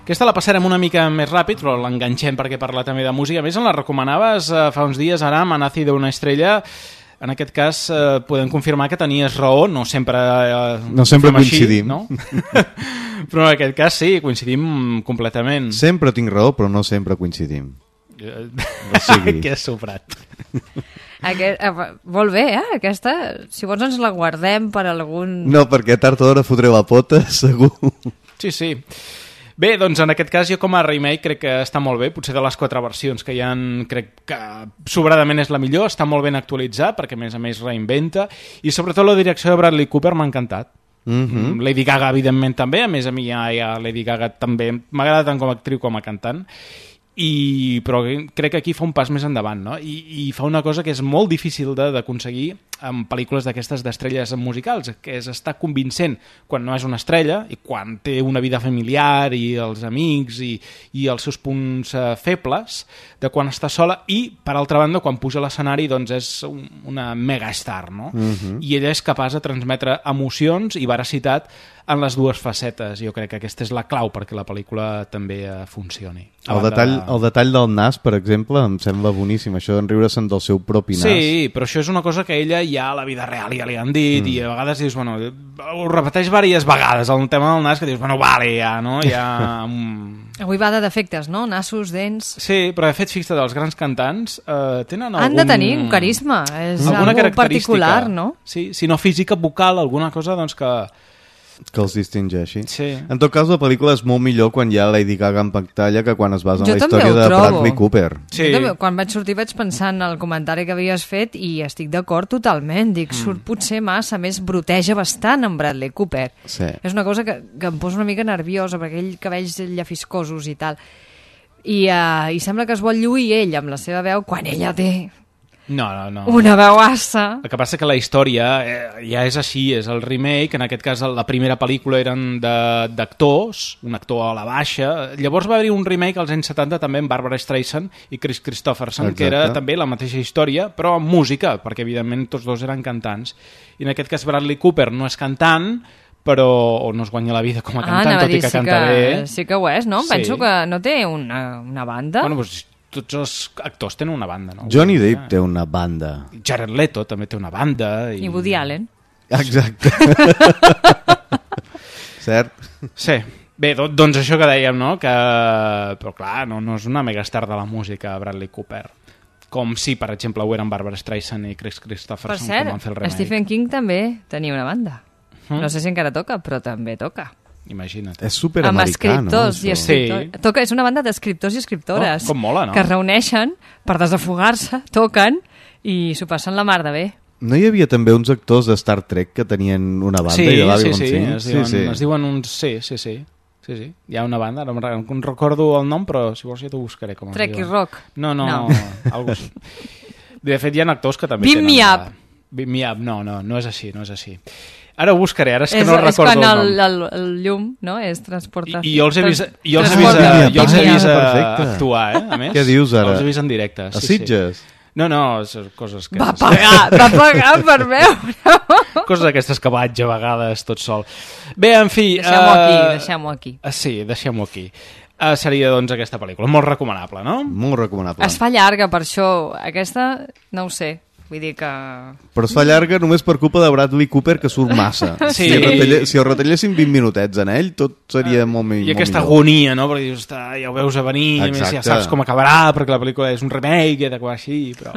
Aquesta la passarem una mica més ràpid, però l'enganxem perquè parla també de música. A més, la recomanaves fa uns dies, Aram, a Nacido una estrella. En aquest cas, podem confirmar que tenies raó, no sempre coincidim. Així, no? Però en aquest cas sí, coincidim completament. Sempre tinc raó, però no sempre coincidim. Que és soprat. Molt bé, aquesta. Si vols ens la guardem per algun... No, perquè tard o d'hora fotré la pota, segur. Sí. Bé, doncs en aquest cas jo com a remake crec que està molt bé, potser de les 4 versions que hi ha crec que sobradament és la millor, està molt ben actualitzat perquè a més reinventa i sobretot la direcció de Bradley Cooper m'ha encantat. Lady Gaga evidentment també, a més a mi ja Lady Gaga també m'agrada tant com a actriu com a cantant, però crec que aquí fa un pas més endavant, no? I fa una cosa que és molt difícil d'aconseguir en pel·lícules d'aquestes d'estrelles musicals, que és estar convincent quan no és una estrella i quan té una vida familiar i els amics i els seus punts febles, de quan està sola i, per altra banda, quan puja a l'escenari doncs és una megastar, no? I ella és capaç de transmetre emocions i veracitat en les dues facetes. Jo crec que aquesta és la clau perquè la pel·lícula també funcioni. El detall del nas, per exemple, em sembla boníssim, això d'enriure-se'n del seu propi nas. Sí, però això és una cosa que ella ja a la vida real ja li han dit, i a vegades dius, bueno, ho repeteix diverses vegades, el tema del nas, que dius, bueno, vale, ja, no? Ja... Avui va de defectes, no? Nassos, dents... Sí, però de fet, fixa't, els grans cantants tenen algun... Han de tenir un carisma, és alguna algo característica particular, no? Sí, si no física, vocal, alguna cosa, doncs que els distingeixi. Sí. En tot cas, la pel·lícula és molt millor quan hi ha Lady Gaga en pantalla que quan es basa en la també història ho de trobo. Bradley Cooper. Sí. Jo també, quan vaig sortir vaig pensar en el comentari que havies fet i estic d'acord totalment. Dic, surt potser massa, més broteja bastant en Bradley Cooper. Sí. És una cosa que em posa una mica nerviosa, perquè ell cabells llafiscosos i tal. I sembla que es vol lluir ell amb la seva veu quan ella té... No. una veuassa. El que passa que la història ja és així, és el remake, en aquest cas la primera pel·lícula eren d'actors, un actor a la baixa, llavors va haver-hi un remake als anys 70 també amb Barbara Streisand i Chris Christopherson, Exacte. que era també la mateixa història, però amb música, perquè evidentment tots dos eren cantants. I en aquest cas Bradley Cooper no és cantant, però o no es guanya la vida com a cantant, tot i que canta bé. Sí que ho és, no? Sí. Penso que no té una banda. Bueno, doncs tots els actors tenen una banda, no? Johnny Depp té una banda. Jared Leto també té una banda. I Woody Allen. Exacte. Cert? Sí. Bé, doncs això que dèiem, no? Que... Però clar, no és una megastar de la música Bradley Cooper. Com si, per exemple, ho eren Barbara Streisand i Chris Christopherson. Per cert, van fer el remake. Stephen King també tenia una banda. No sé si encara toca, però també toca. Imagina't. És superamericà, amb escriptors no? i escriptors. Sí. Toca, és una banda d'escriptors i escriptores com mola, no? que es reuneixen per desafogar-se, toquen i s'ho passen la mar de bé. No hi havia també uns actors de Star Trek que tenien una banda? Sí, i de sí. Es diuen uns... Sí. Hi ha una banda, no recordo el nom, però si vols ja t'ho buscaré. Com Trek i Rock? No. Algo així. De fet, hi ha actors que també Beam tenen... Me Up! Beam Me Up, no és així. Ara ho buscaré, ara és que no recordo el nom. És quan el llum, no?, és transportat. I jo els he vist actuar, a més. Què dius ara? Els he vist en directe. A Sitges? No, són coses que... Va pagar per veure! Coses aquestes que vaig a vegades tot sol. Bé, en fi... Deixem-ho aquí. Sí, deixem-ho aquí. Seria, doncs, aquesta pel·lícula. Molt recomanable, no? Molt recomanable. Es fa llarga, per això. Aquesta, no ho sé. Vull dir que... Però es fa llarga només per culpa de Bradley Cooper, que surt massa. Sí. Si el retalléssim 20 minutets en ell, tot seria molt millor. I aquesta agonia, no? Perquè dius, ja ho veus a venir, a més ja saps com acabarà, perquè la pel·lícula és un remake i ha d'acabar així, però...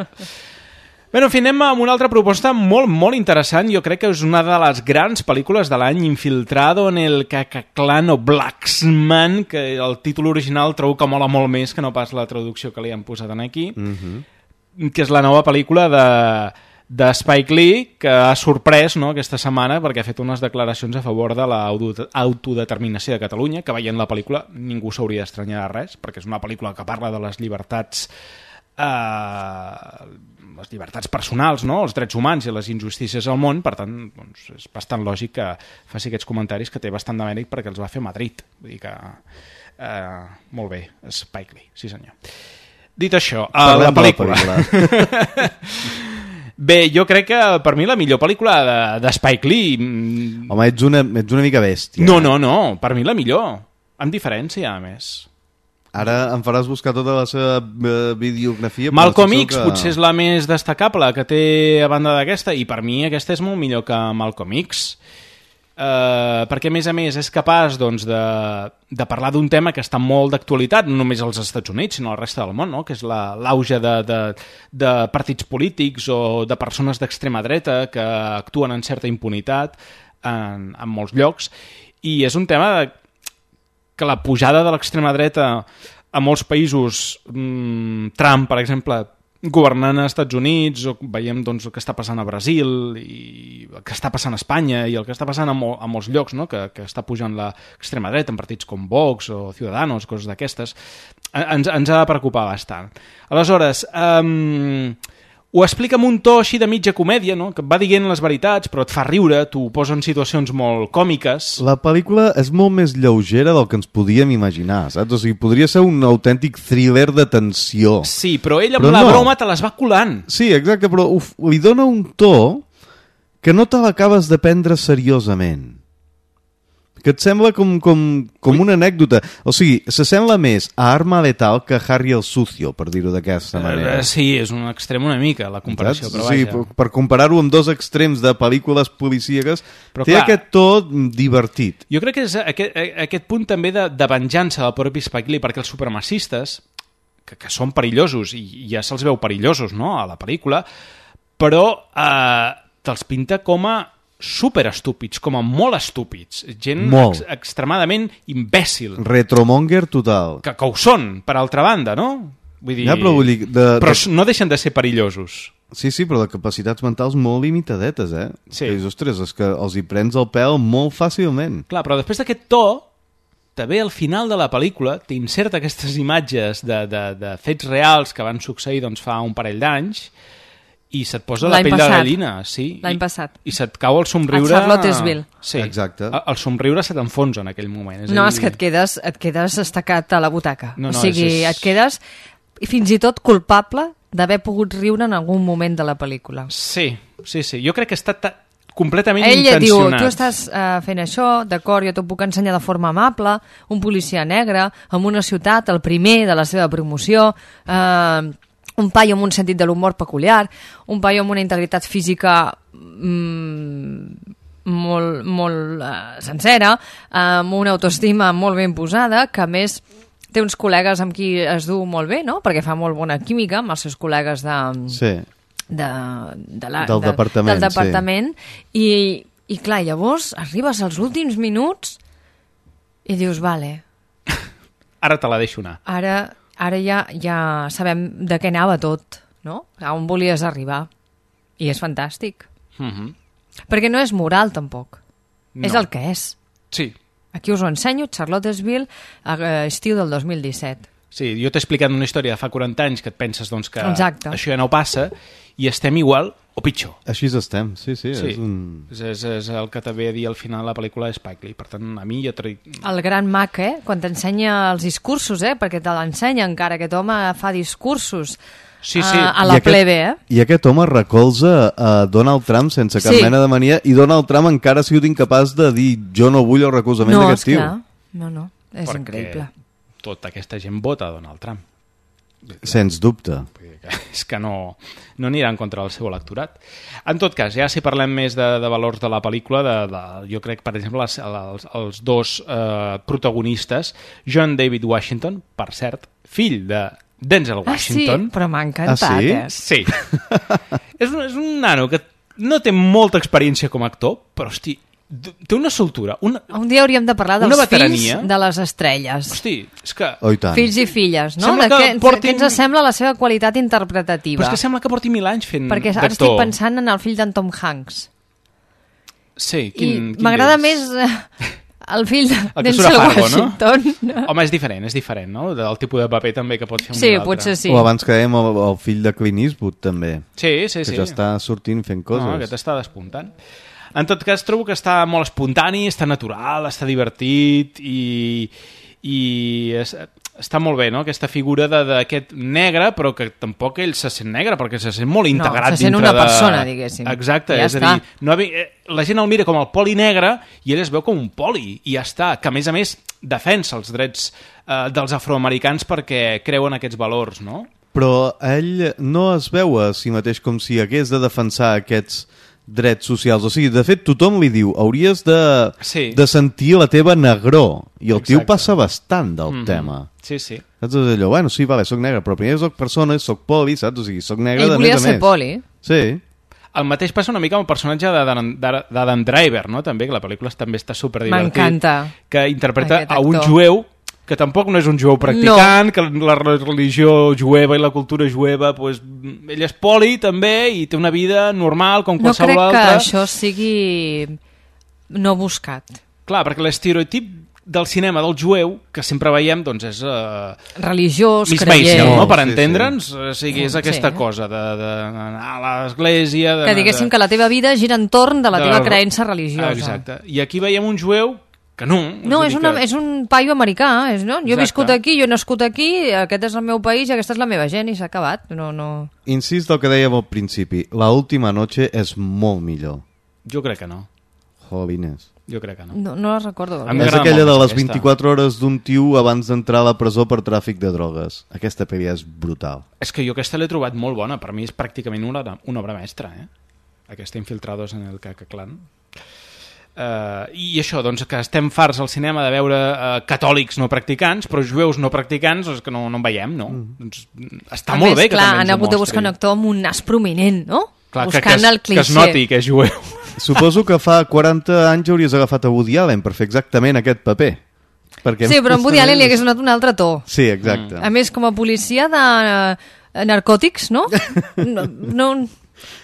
Bé, en fi, anem amb una altra proposta molt, molt interessant. Jo crec que és una de les grans pel·lícules de l'any, Infiltrado en el Cacaclan o Blacksman, que el títol original trobo que mola molt més que no pas la traducció que li han posat aquí. Que és la nova pel·lícula de Spike Lee, que ha sorprès, no, aquesta setmana perquè ha fet unes declaracions a favor de l'autodeterminació de Catalunya, que veient la pel·lícula ningú s'hauria d'estranyar de res, perquè és una pel·lícula que parla de les llibertats personals, no? Els drets humans i les injustícies al món, per tant, doncs, és bastant lògic que faci aquests comentaris, que té bastant de mèrit perquè els va fer a Madrid. Vull dir que... molt bé, Spike Lee, sí senyor. Dit això, la pel·lícula. Bé, jo crec que per mi la millor pel·lícula de Spike Lee... Home, ets una mica bèstia. No, per mi la millor. Amb diferència, a més. Ara em faràs buscar tota la seva videografia. Malcolm X potser és la més destacable que té a banda d'aquesta, i per mi aquesta és molt millor que Malcolm X. Perquè a més és capaç doncs, de parlar d'un tema que està molt d'actualitat, no només als Estats Units sinó al resta del món, no? Que és l'auge de partits polítics o de persones d'extrema dreta que actuen en certa impunitat en molts llocs, i és un tema que la pujada de l'extrema dreta a molts països, Trump per exemple governant als Estats Units, o veiem doncs, el que està passant a Brasil, i el que està passant a Espanya, i el que està passant a molts llocs, no? que està pujant l'extrema dreta en partits com Vox o Ciudadanos, coses d'aquestes, ens ha de preocupar bastant. Aleshores, ho explica amb un to així de mitja comèdia, no? Que et va dient les veritats, però et fa riure, t'ho posa en situacions molt còmiques. La pel·lícula és molt més lleugera del que ens podíem imaginar, saps? O sigui, podria ser un autèntic thriller de tensió. Sí, però ell amb la broma te les va colant. Sí, exacte, però li dona un to que no te l'acabes de prendre seriosament. que et sembla com una anècdota. O sigui, s'assembla més a Arma Letal que Harry el Sucio, per dir-ho d'aquesta manera. Sí, és un extrem una mica, la comparació, però vaja. Sí, per comparar-ho amb dos extrems de pel·lícules policíaques, té aquest to divertit. Jo crec que és aquest punt també de venjança del propi Spike Lee, perquè els supremacistes, que són perillosos, i ja se'ls veu perillosos, no?, a la pel·lícula, però te'ls pinta com a superestúpids, com a molt estúpids, gent extremadament imbècil. Retromonger total. Que ho són, per altra banda, no? Vull dir... Ja, però vull dir... Però no deixen de ser perillosos. Sí, però de capacitats mentals molt limitadetes, eh? Sí. Que dius, ostres, és que els hi prens el pèl molt fàcilment. Clar, però després d'aquest to, també al final de la pel·lícula t'inserta aquestes imatges de fets reals que van succeir doncs, fa un parell d'anys, i se't posa la pell de gallina. Sí. L'any passat. I se't cau el somriure... A Charlottesville. Sí. Exacte. El somriure se t'enfonsa en aquell moment. És que et quedes estacat a la butaca. No, o sigui, et quedes fins i tot culpable d'haver pogut riure en algun moment de la pel·lícula. Sí. Jo crec que està completament intencionat. Ell diu, tu estàs fent això, d'acord, jo t'ho puc ensenyar de forma amable, un policia negre, en una ciutat, el primer de la seva promoció, un paio amb un sentit de l'humor peculiar, un paio amb una integritat física molt sencera, amb una autoestima molt ben posada, que a més té uns col·legues amb qui es du molt bé, no? Perquè fa molt bona química amb els seus col·legues del departament. Sí. I clar, llavors arribes als últims minuts i dius, vale. Ara te la deixo anar. Ara ja sabem de què anava tot, no? A on volies arribar. I és fantàstic. Perquè no és moral, tampoc. No. És el que és. Sí. Aquí us ho ensenyo, Charlottesville, estiu del 2017. Sí, jo t'he explicat una història de fa 40 anys que et penses doncs, que Exacte. Això ja no passa i estem igual o pitjor. Així estem, sí. És el que també a dir al final de la pel·lícula de Spike Lee. Per tant, a mi jo... El gran mag, quan t'ensenya els discursos, perquè te l'ensenya encara, aquest home fa discursos a la plebe. I aquest home recolza a Donald Trump sense cap mena de mania, i Donald Trump encara ha sigut incapaç de dir jo no vull el recolzament d'aquest tio. No, és increïble. Tota aquesta gent vota a Donald Trump. Sens dubte. És que no anirà en contra del seu electorat. En tot cas, ja si parlem més de valors de la pel·lícula, jo crec, per exemple, els dos protagonistes, John David Washington, per cert, fill de Denzel Washington. Sí, però m'ha encantat, Sí. És un nano que no té molta experiència com a actor, però, hosti, té una soltura. Un dia hauríem de parlar dels fills de les estrelles. Hosti, és que... Fills i filles, no? Què ens sembla la seva qualitat interpretativa? Però és que sembla que porti 1000 anys fent d'actor. Perquè ara estic pensant en el fill d'en Tom Hanks. Sí, quin m'agrada més el fill d'Denzel Washington. No? Home, és diferent, no? Del tipus de paper també que pot fer un altre. Sí, potser sí. O abans que dèiem el fill de Clint Eastwood, també. Sí. Que ja està sortint fent coses. No, aquest està despuntant. En tot cas, trobo que està molt espontani, està natural, està divertit i està molt bé, no?, aquesta figura d'aquest negre, però que tampoc ell se sent negre, perquè se sent molt integrat dintre de... se sent una persona, diguéssim. Exacte, és a dir, la gent el mira com el poli negre i ell es veu com un poli, i ja està, que a més defensa els drets dels afroamericans perquè creuen aquests valors, no? Però ell no es veu a si mateix com si hagués de defensar aquests drets socials. O sigui, de fet, tothom li diu hauries de sentir la teva negror. I el tio passa bastant del tema. Sí. Saps? És allò, bueno, sí, vale, soc negre, però primer soc persona, soc poli, saps? O sigui, soc negre de més a més. Ell volia ser poli. Sí. El mateix passa una mica amb el personatge d'Adam Driver, no? També, que la pel·lícula també està superdivertit. M'encanta. Que interpreta a un jueu que tampoc no és un jueu practicant, que la religió jueva i la cultura jueva, pues, ell és poli també i té una vida normal com qualsevol altra. No crec que això sigui no buscat. Clar, perquè l'estereotip del cinema del jueu, que sempre veiem, doncs és... religiós, creient. Miss Maisel, no?, per entendre'ns. O sigui, és aquesta cosa d'anar a l'església... Que diguéssim que la teva vida gira entorn de la teva creença religiosa. Exacte. I aquí veiem un jueu que no. No, és un paio americà. Jo he viscut aquí, jo he nascut aquí, aquest és el meu país i aquesta és la meva gent i s'ha acabat. No. Insist el que dèiem al principi, La última noche és molt millor. Jo crec que no. Jolines. Jo crec que no. No la recordo. És aquella de les 24 hores d'un tio abans d'entrar a la presó per tràfic de drogues. Aquesta pel·li és brutal. És que jo aquesta l'he trobat molt bona. Per mi és pràcticament una obra mestra, aquesta Infiltrados en el Ku Clan. I això, doncs, que estem farts al cinema de veure catòlics no practicants, però jueus no practicants és que no en veiem, no? Doncs està molt bé que també ens ho mostri. Han hagut de buscar un actor amb un nas prominent, no? Clar, buscant el cliché. Que es noti que és jueu. Suposo que fa 40 anys hauries agafat a Woody Allen per fer exactament aquest paper. Sí, però en Woody Allen li hagués donat un altre to. Sí, exacte. A més, com a policia de narcòtics, no? No...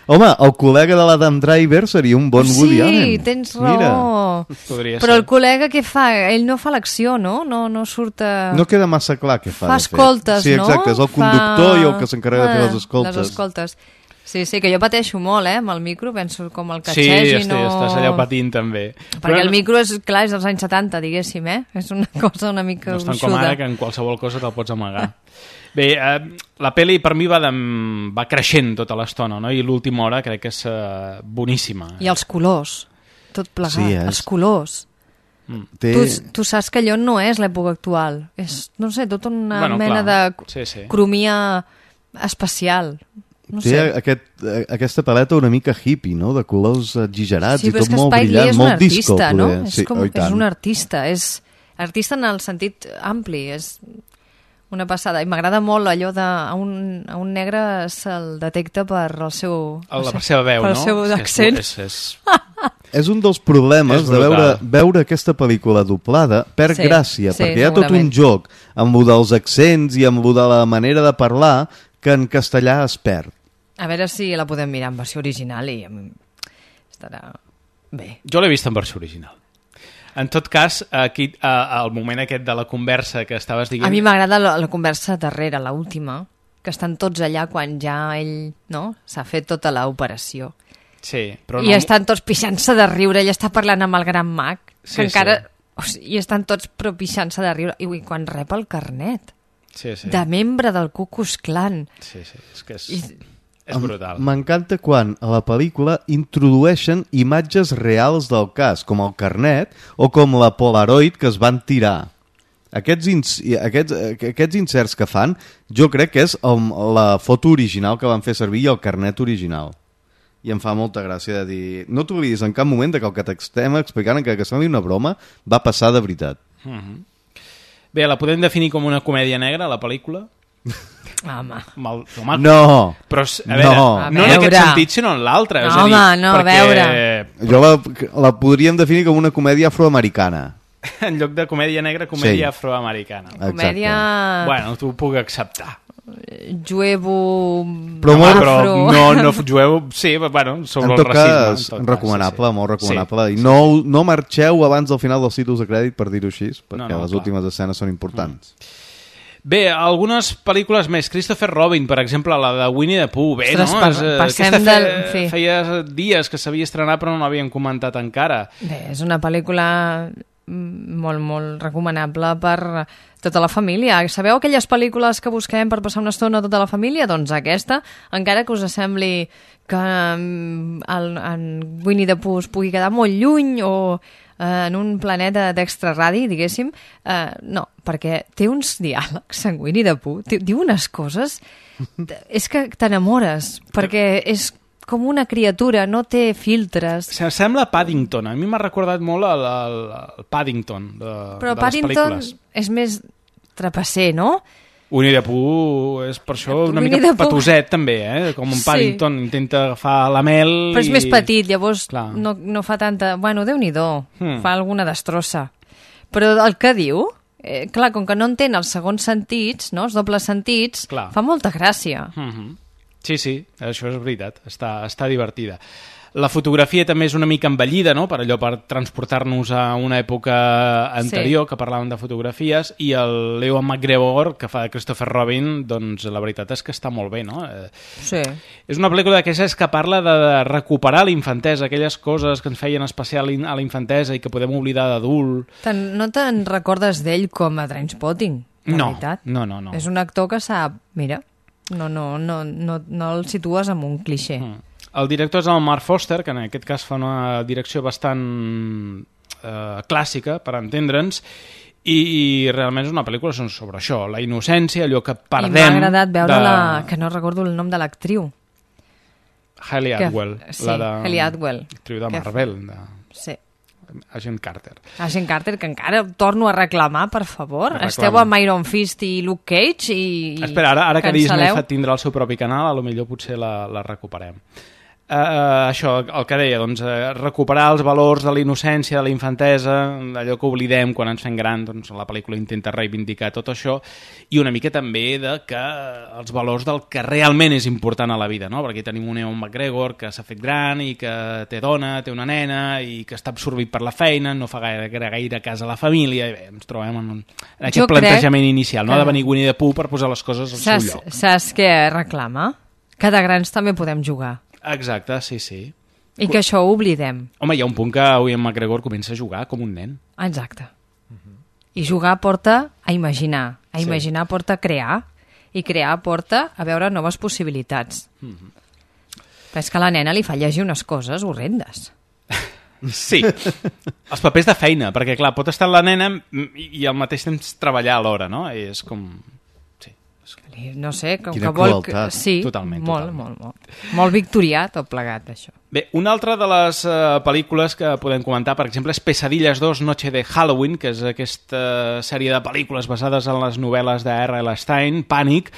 Home, el col·lega de l'Adam Driver seria un bon Woody Allen. Sí, tens raó. Però el col·lega què fa? Ell no fa l'acció, no? No surt a... No queda massa clar què fa, de fet. Fa escoltes, no? Sí, exacte, és el conductor i el que s'encarrega de fer les escoltes. Les escoltes. Sí, que jo pateixo molt, amb el micro, penso com el catxeix i no... Sí, estàs allà patint també. Perquè el micro és dels anys 70, diguéssim, és una cosa una mica gruixuda. No és tant com ara que en qualsevol cosa te'l pots amagar. Bé, la pel·li per mi va creixent tota l'estona, no? I l'última hora crec que és boníssima. I els colors, tot plegat, els colors. Tu saps que allò no és l'època actual, és, no sé, tota una mena de cromia espacial. No sé. Aquesta paleta una mica hippie, no? De colors exagerats i tot molt brillant, molt disco. No? És un artista, és artista en el sentit ampli, és una passada. I m'agrada molt allò de a un negre se'l detecta per el seu... Per seva veu, no? Per el seu accent. És un dels problemes de veure aquesta pel·lícula doblada per gràcia, perquè hi ha tot un joc amb lo dels accents i amb lo de la manera de parlar que en castellà es perd. A veure si la podem mirar en versió original i estarà bé. Jo l'he vist en versió original. En tot cas, aquí, al moment aquest de la conversa que estaves dient... A mi m'agrada la conversa darrere, l'última, que estan tots allà quan ja ell s'ha fet tota l'operació. Sí, però I estan tots pixant-se de riure, ell està parlant amb el gran mag, que encara... I estan tots pixant-se de riure. I quan rep el carnet de membre del Ku Klux Klan. Sí, és que és brutal. M'encanta quan a la pel·lícula introdueixen imatges reals del cas, com el carnet o com la Polaroid que es van tirar. Aquests inserts que fan, jo crec que és la foto original que van fer servir i el carnet original. I em fa molta gràcia de dir... No t'oblidis en cap moment que el que t'estem explicant, encara que sembli una broma, va passar de veritat. Bé, la podem definir com una comèdia negra, la pel·lícula? Home. No. Però, a veure, no en aquest sentit, sinó en l'altre. A veure. Jo la podríem definir com una comèdia afroamericana. En lloc de comèdia negra, comèdia afroamericana. Comèdia... Bueno, t'ho puc acceptar. Juevo... Però no jueu... Sí, bueno, sobre el racisme. Recomanable, molt recomanable. I no marxeu abans del final dels títols de crèdit, per dir-ho així, perquè les últimes escenes són importants. Bé, algunes pel·lícules més. Christopher Robin, per exemple, la de Winnie the Pooh. Bé, no? Feia dies que s'havia estrenat però no l'havíem comentat encara. Bé, és una pel·lícula molt, molt recomanable per tota la família. Sabeu aquelles pel·lícules que busquem per passar una estona tota la família? Doncs aquesta, encara que us sembli que en Winnie the Pooh es pugui quedar molt lluny o en un planeta d'extraradi, diguéssim, no, perquè té uns diàlegs en Winnie the Pooh, diu unes coses, és que t'enamores, perquè és com una criatura, no té filtres. Sembla Paddington, a mi m'ha recordat molt el Paddington de les pel·lícules. Però Paddington és més trapasser, no? Winnie the Pooh és per això una mica patoset també, com un Paddington intenta agafar la mel. Però és més petit, llavors no fa tanta... Bueno, Déu-n'hi-do, fa alguna destrossa. Però el que diu, clar, com que no entén els segons sentits, no, els dobles sentits, fa molta gràcia. Sí, això és veritat, està divertida. La fotografia també és una mica envellida, no? Per allò, per transportar-nos a una època anterior, que parlàvem de fotografies, i el Ewan McGregor, que fa de Christopher Robin, doncs la veritat és que està molt bé, no? Sí. És una pel·lícula d'aquestes que parla de recuperar la infantesa, aquelles coses que ens feien especial a la infantesa i que podem oblidar d'adult. No te'n recordes d'ell com a Trainspotting, en veritat? No. És un actor que sap, mira, no el situes en un clixé. El director és el Mark Foster, que en aquest cas fa una direcció bastant clàssica, per entendre'ns, i realment és una pel·lícula sobre això, la innocència, allò que perdem... I m'ha agradat veure que no recordo el nom de l'actriu. Hayley Atwell. Sí, Hayley Atwell. Actriu de Marvel. Sí. Agent Carter. Agent Carter, que encara torno a reclamar, per favor. Esteu amb Iron Fist i Luke Cage i espera, ara que Disney tindrà el seu propi canal, potser potser la recuperem. Això, el que deia, doncs, recuperar els valors de la innocència, de la infantesa, allò que oblidem quan ens fem gran, doncs la pel·lícula intenta reivindicar tot això, i una mica també de que els valors del que realment és important a la vida, no? Perquè tenim un Ewan McGregor que s'ha fet gran i que té dona, té una nena i que està absorbit per la feina, no fa gaire cas a la família, i bé, ens trobem en aquest plantejament inicial, no? De venir Winnie the Pooh per posar les coses al seu lloc. Saps què reclama? Que de grans també podem jugar. Exacte, sí. I que això ho oblidem. Home, hi ha un punt que Ewan McGregor comença a jugar com un nen. Exacte. I jugar porta a imaginar. A imaginar porta a crear. I crear porta a veure noves possibilitats. Però és que a la nena li fa llegir unes coses horrendes. Sí. Els papers de feina, perquè clar, pot estar la nena i al mateix temps treballar alhora, no? I és com... No sé, com quina que vol... crueltat. Sí, totalment. Molt victorià tot plegat, això. Bé, una altra de les pel·lícules que podem comentar, per exemple, és Pesadillas 2, Noche de Halloween, que és aquesta sèrie de pel·lícules basades en les novel·les de R.L. Stein, Pànic,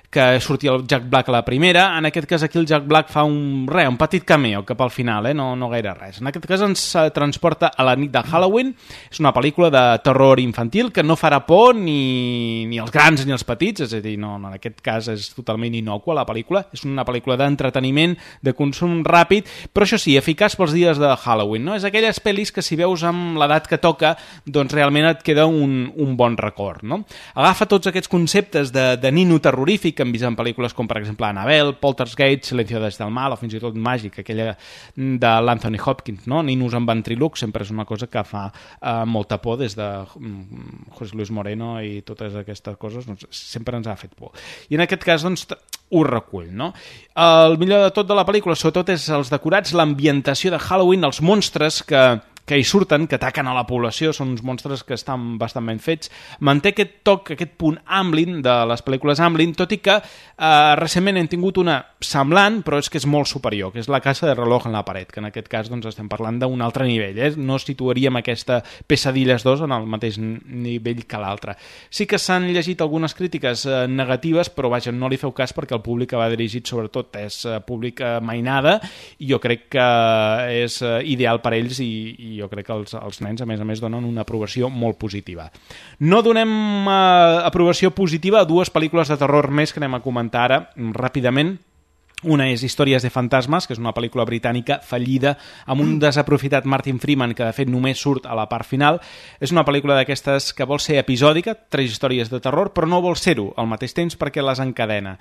que sortia el Jack Black a la primera. En aquest cas aquí el Jack Black fa un petit cameo cap al final, no gaire res. En aquest cas ens transporta a la nit de Halloween. És una pel·lícula de terror infantil que no farà por ni als grans ni als petits, és a dir, no, en aquest cas és totalment innocua la pel·lícula. És una pel·lícula d'entreteniment, de consum ràpid, però això sí, eficaç pels dies de Halloween, no? És aquelles pel·lis que si veus amb l'edat que toca, doncs realment et queda un bon record, no? Agafa tots aquests conceptes de nino terrorífic que hem vist en pel·lícules com, per exemple, Annabelle, Poltergeist, Silencio des del mal, o fins i tot Màgic, aquella de l'Anthony Hopkins, no? Ninos amb ventriloc sempre és una cosa que fa molta por des de José Luis Moreno i totes aquestes coses, doncs, sempre ens ha fet por. I en aquest cas, doncs, ho recull, no? El millor de tot de la pel·lícula, sobretot, és els decorats, l'ambientació de Halloween, els monstres que hi surten, que ataquen a la població, són uns monstres que estan bastant ben fets. Manté aquest toc, aquest punt Amblin de les pel·lícules Amblin, tot i que recentment hem tingut una semblant, però és que és molt superior, que és La casa de reloj en la paret, que en aquest cas doncs, estem parlant d'un altre nivell, no situaríem aquesta Pesadillas 2 en el mateix nivell que l'altre. Sí que s'han llegit algunes crítiques negatives, però vaja, no li feu cas perquè el públic que va dirigit sobretot és públic mainada, i jo crec que és ideal per ells i jo crec que els nens, a més, donen una aprovació molt positiva. No donem aprovació positiva a dues pel·lícules de terror més que anem a comentar ara ràpidament. Una és Històries de fantasmes, que és una pel·lícula britànica fallida amb un desaprofitat Martin Freeman que de fet només surt a la part final. És una pel·lícula d'aquestes que vol ser episòdica, 3 històries de terror, però no vol ser-ho al mateix temps perquè les encadena.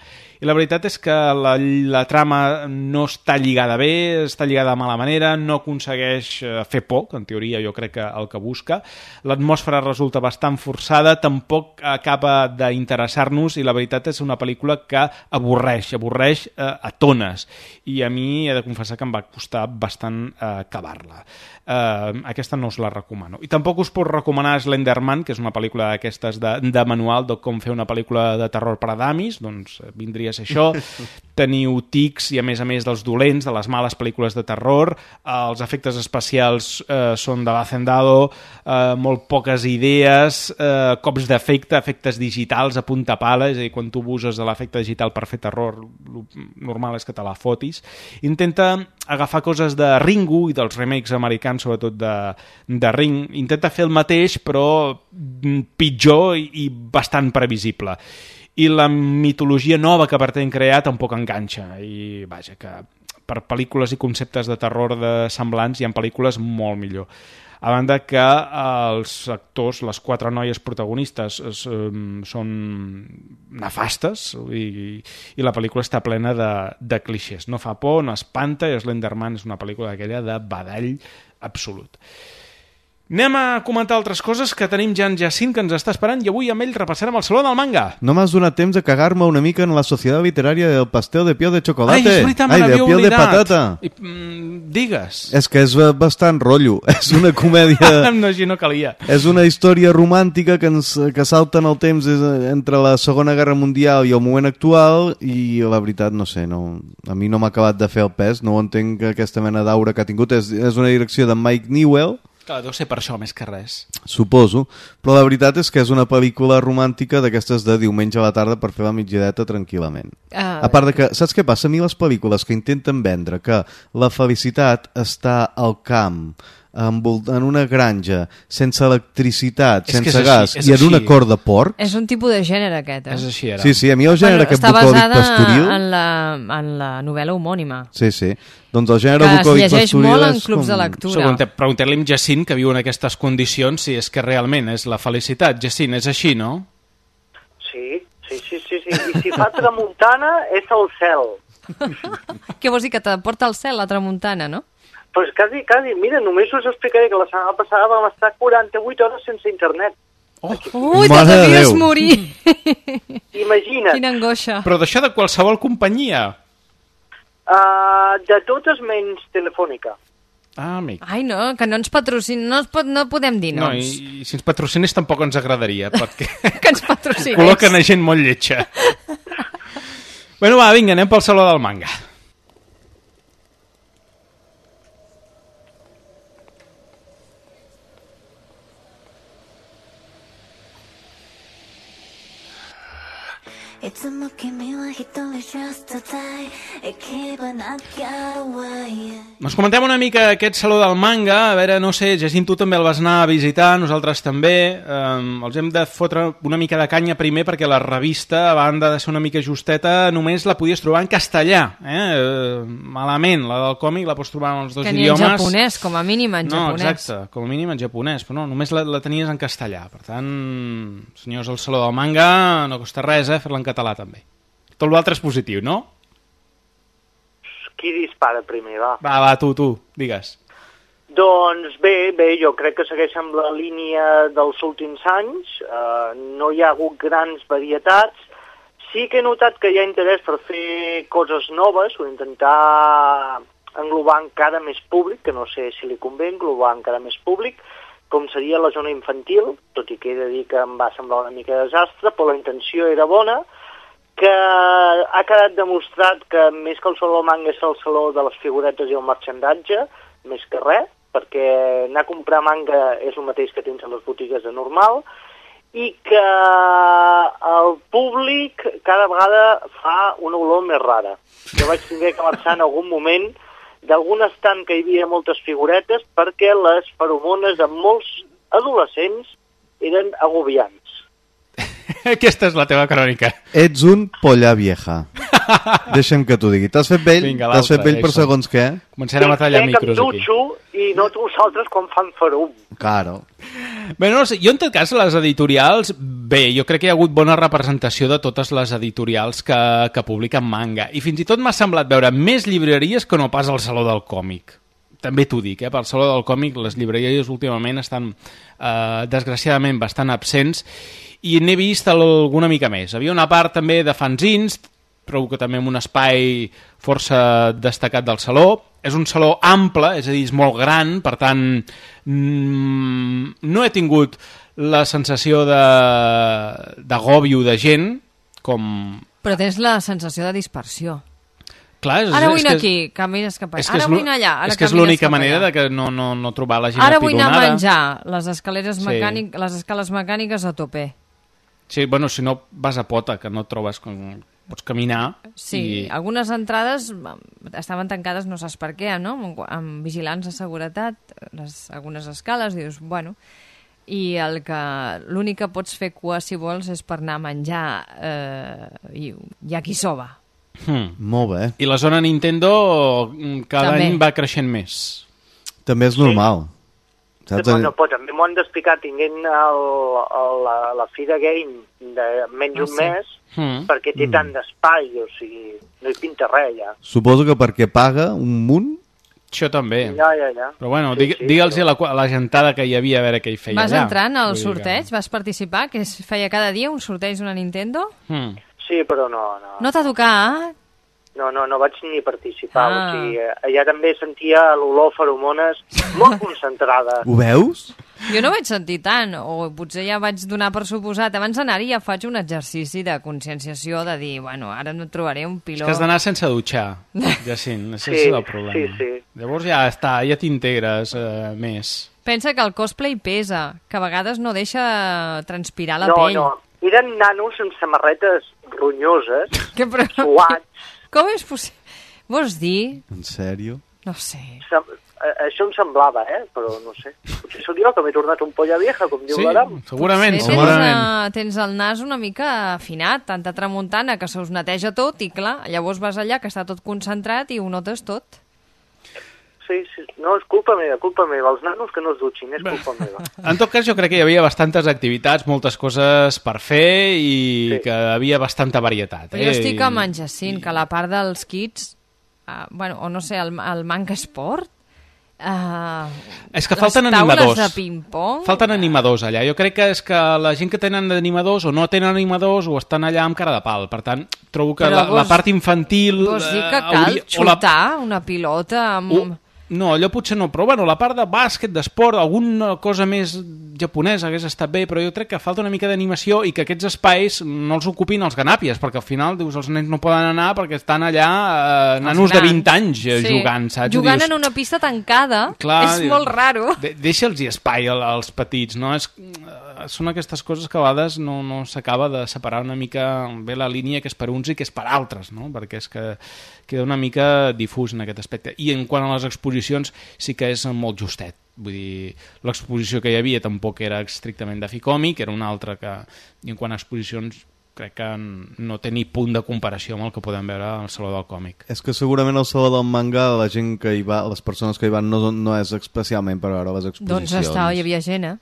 I la veritat és que la trama no està lligada bé, està lligada de mala manera, no aconsegueix fer por, que en teoria jo crec que el que busca. L'atmosfera resulta bastant forçada, tampoc acaba d'interessar-nos i la veritat és una pel·lícula que avorreix a tones, i a mi he de confessar que em va costar bastant acabar-la. Aquesta no us la recomano. I tampoc us puc recomanar Slenderman, que és una pel·lícula d'aquestes de manual de com fer una pel·lícula de terror per a damis, doncs vindria a ser això. Teniu tics i a més dels dolents, de les males pel·lícules de terror. Els efectes especials són de l'hacendado, molt poques idees, cops d'efecte, efectes digitals a punta pala, és a dir, quan tu uses l'efecte digital per fer terror, normal és que te la fotis. Intenta agafar coses de Ringu i dels remakes americans, sobretot de Ring. Intenta fer el mateix, però pitjor i bastant previsible. I la mitologia nova que pretén crear tampoc enganxa. I vaja, que per pel·lícules i conceptes de terror de semblants hi ha pel·lícules molt millor. A banda que els actors, les 4 noies protagonistes, són nefastes i la pel·lícula està plena de clixés. No fa por, no espanta, i Slenderman és una pel·lícula d'aquella de badall absolut. Anem a comentar altres coses, que tenim ja en Jacint, que ens està esperant, i avui amb ell repassarem el Saló del Manga. No m'has donat temps de cagar-me una mica en la Societat Literària del Pastel de Pio de Chocolate. Ai, és veritat, me n'havia oblidat. De patata. Digues. És que és bastant rotllo. És una comèdia... No, així no calia. És una història romàntica que salta en el temps entre la Segona Guerra Mundial i el moment actual, i la veritat, no sé, a mi no m'ha acabat de fer el pes, no ho entenc, aquesta mena d'aura que ha tingut. És una direcció de Mike Newell. Clar, deu ser per això més que res. Suposo, però la veritat és que és una pel·lícula romàntica d'aquestes de diumenge a la tarda per fer la migdiadeta tranquil·lament. A part de que, saps què passa? A mi les pel·lícules que intenten vendre que la felicitat està al camp, en una granja, sense electricitat, sense gas i en una cor de porc... És un tipus de gènere aquest, És així, ara. Sí, a mi el gènere aquest bucòlic pastoril... Està basada en la novel·la homònima. Sí. Doncs el gènere bucòlic pastoril... Que es llegeix molt en clubs de lectura. Preguntem-li a Jacint, que viu en aquestes condicions, si és que realment és la felicitat. Jacint, és així, no? Sí. I si fa tramuntana, és el cel. Què vols dir, que te porta al cel la tramuntana, no? Pues quasi. Mira, només us explicaré que la setmana passada vam estar 48 hores sense internet. Ui, te devies morir! Imagina't. Quina angoixa. Però d'això de qualsevol companyia? De totes menys telefònica. Amic. Ai, no, que no ens patrocina, no podem dir noms. No, i si ens patrocinés tampoc ens agradaria, perquè... que ens patrocinés. Col·loquen a gent molt lletja. Bueno, va, vinga, anem pel Saló del Manga. Doncs comentem una mica aquest Saló del Manga. A veure, no sé, Jacint, tu també el vas anar a visitar, nosaltres també. Els hem de fotre una mica de canya primer, perquè la revista, a banda de ser una mica justeta, només la podies trobar en castellà. Malament, la del còmic la pots trobar en els dos idiomes. Que ni en japonès, com a mínim en japonès. No, exacte, com a mínim en japonès, però no, només la tenies en castellà. Per tant, senyors del Saló del Manga, no costa res, fer-la en català també. Tot l'altre és positiu, no? Qui dispara primer, va? Va, tu, digues. Doncs bé, jo crec que segueix amb la línia dels últims anys. No hi ha hagut grans varietats. Sí que he notat que hi ha interès per fer coses noves o intentar englobar encara més públic, que no sé si li convé englobar encara més públic, com seria la zona infantil, tot i que he de dir que em va semblar una mica desastre, però la intenció era bona, que ha quedat demostrat que més que el Saló del Manga és el saló de les figuretes i el marxandatge, més que res, perquè anar a comprar manga és el mateix que tens a les botigues de normal, i que el públic cada vegada fa una olor més rara. Jo vaig haver que marxar en algun moment d'algun estant que hi havia moltes figuretes perquè les feromones de molts adolescents eren agobiants. Aquesta és la teva crònica. Ets un polla vieja. Deixa'm que t'ho digui. T'has fet vell? T'has fet vell per segons què? Començarem a tallar micros aquí. I no vosaltres quan fan ferum. Claro. Bé, no sé, jo en tot cas les editorials, bé, jo crec que hi ha hagut bona representació de totes les editorials que publiquen manga. I fins i tot m'ha semblat veure més llibreries que no pas al Saló del Còmic. També t'ho dic, pel Saló del Còmic les llibreries últimament estan desgraciadament bastant absents i n'he vist alguna mica més. Havia una part també de fanzins, trobo que també amb un espai força destacat del saló. És un saló ample, és a dir, és molt gran, per tant no he tingut la sensació d'agòbio de gent com... Però tens la sensació de dispersió. Clar, ara vull anar aquí, camines cap allà. Ara vull anar allà, ara és que és l'única manera de que no trobar la gent ara vull anar a apigonada. menjar les escales mecàniques, les escales mecàniques a tope. Sí, bueno, si no vas a pota, que no trobes com... Pots caminar. Sí, algunes entrades estaven tancades, no saps per què, no? Amb vigilants de seguretat, algunes escales, dius, bueno... I l'únic que pots fer cua, si vols, és per anar a menjar yakisoba. Molt bé. I la zona Nintendo cada any va creixent més. També és normal. Bueno, però també m'ho han d'explicar tinguent la Fira Game de menys un mes, perquè té tant d'espai, o sigui, no hi pinta res ja. Suposo que perquè paga un munt Això també. Ja. Però bueno, digue'ls a la gentada que hi havia a veure què hi feia allà. Vas entrar en el sorteig? Que... Vas participar? Que es feia cada dia un sorteig d'una Nintendo? Sí, però no. No t'ha tocat? No vaig ni participar. O sigui, allà també sentia l'olor feromones molt concentrada. Ho veus? Jo no vaig sentir tant, o potser ja vaig donar per suposat. Abans d'anar-hi ja faig un exercici de conscienciació, de dir, bueno, ara no trobaré un piló... És que has d'anar sense dutxar, Jacint, això és el problema. Sí. Llavors ja t'integres més. Pensa que el cosplay pesa, que a vegades no deixa transpirar la pell. No, eren nanos amb samarretes ronyoses, suats. Com és possible? Vols dir? En sèrio? No sé. Això em semblava, però no sé. Potser sóc jo que m'he tornat un polla vieja, com diu l'Adam. Segurament. Tens el nas una mica afinat, tanta tramuntana que se us neteja tot i clar, llavors vas allà que està tot concentrat i ho notes tot. Sí, no, és culpa meva. Els nanos que no es dutxin, és culpa meva. En tot cas, jo crec que hi havia bastantes activitats, moltes coses per fer i que havia bastanta varietat. Jo estic amb en Jacint, que la part dels kits, o no sé, el manga esport, és que falten animadors. De ping-pong. Falten animadors allà. Jo crec que és que la gent que tenen animadors o no tenen animadors o estan allà amb cara de pal. Per tant, trobo que la part infantil... Vols dir que cal xutar una pilota amb... No, allò potser no, però bueno, la part de bàsquet, d'esport, alguna cosa més japonesa hagués estat bé, però jo crec que falta una mica d'animació i que aquests espais no els ocupin els ganàpies, perquè al final, dius, els nens no poden anar perquè estan allà nanos de 20 anys jugant, saps? Jugant en una pista tancada, és molt raro. Deixa'ls-hi espai als petits, no? Són aquestes coses que a vegades no s'acaba de separar una mica bé la línia que és per uns i que és per altres, no? Perquè és que queda una mica difús en aquest aspecte. I en quant a les exposicions sí que és molt justet. Vull dir, l'exposició que hi havia tampoc era estrictament de Ficòmic, era una altra que... I en quant a exposicions crec que no té ni punt de comparació amb el que podem veure al Saló del Còmic. És que segurament al Saló del Manga la gent que hi va, les persones que hi van no és especialment per veure les exposicions. Doncs hi havia gent,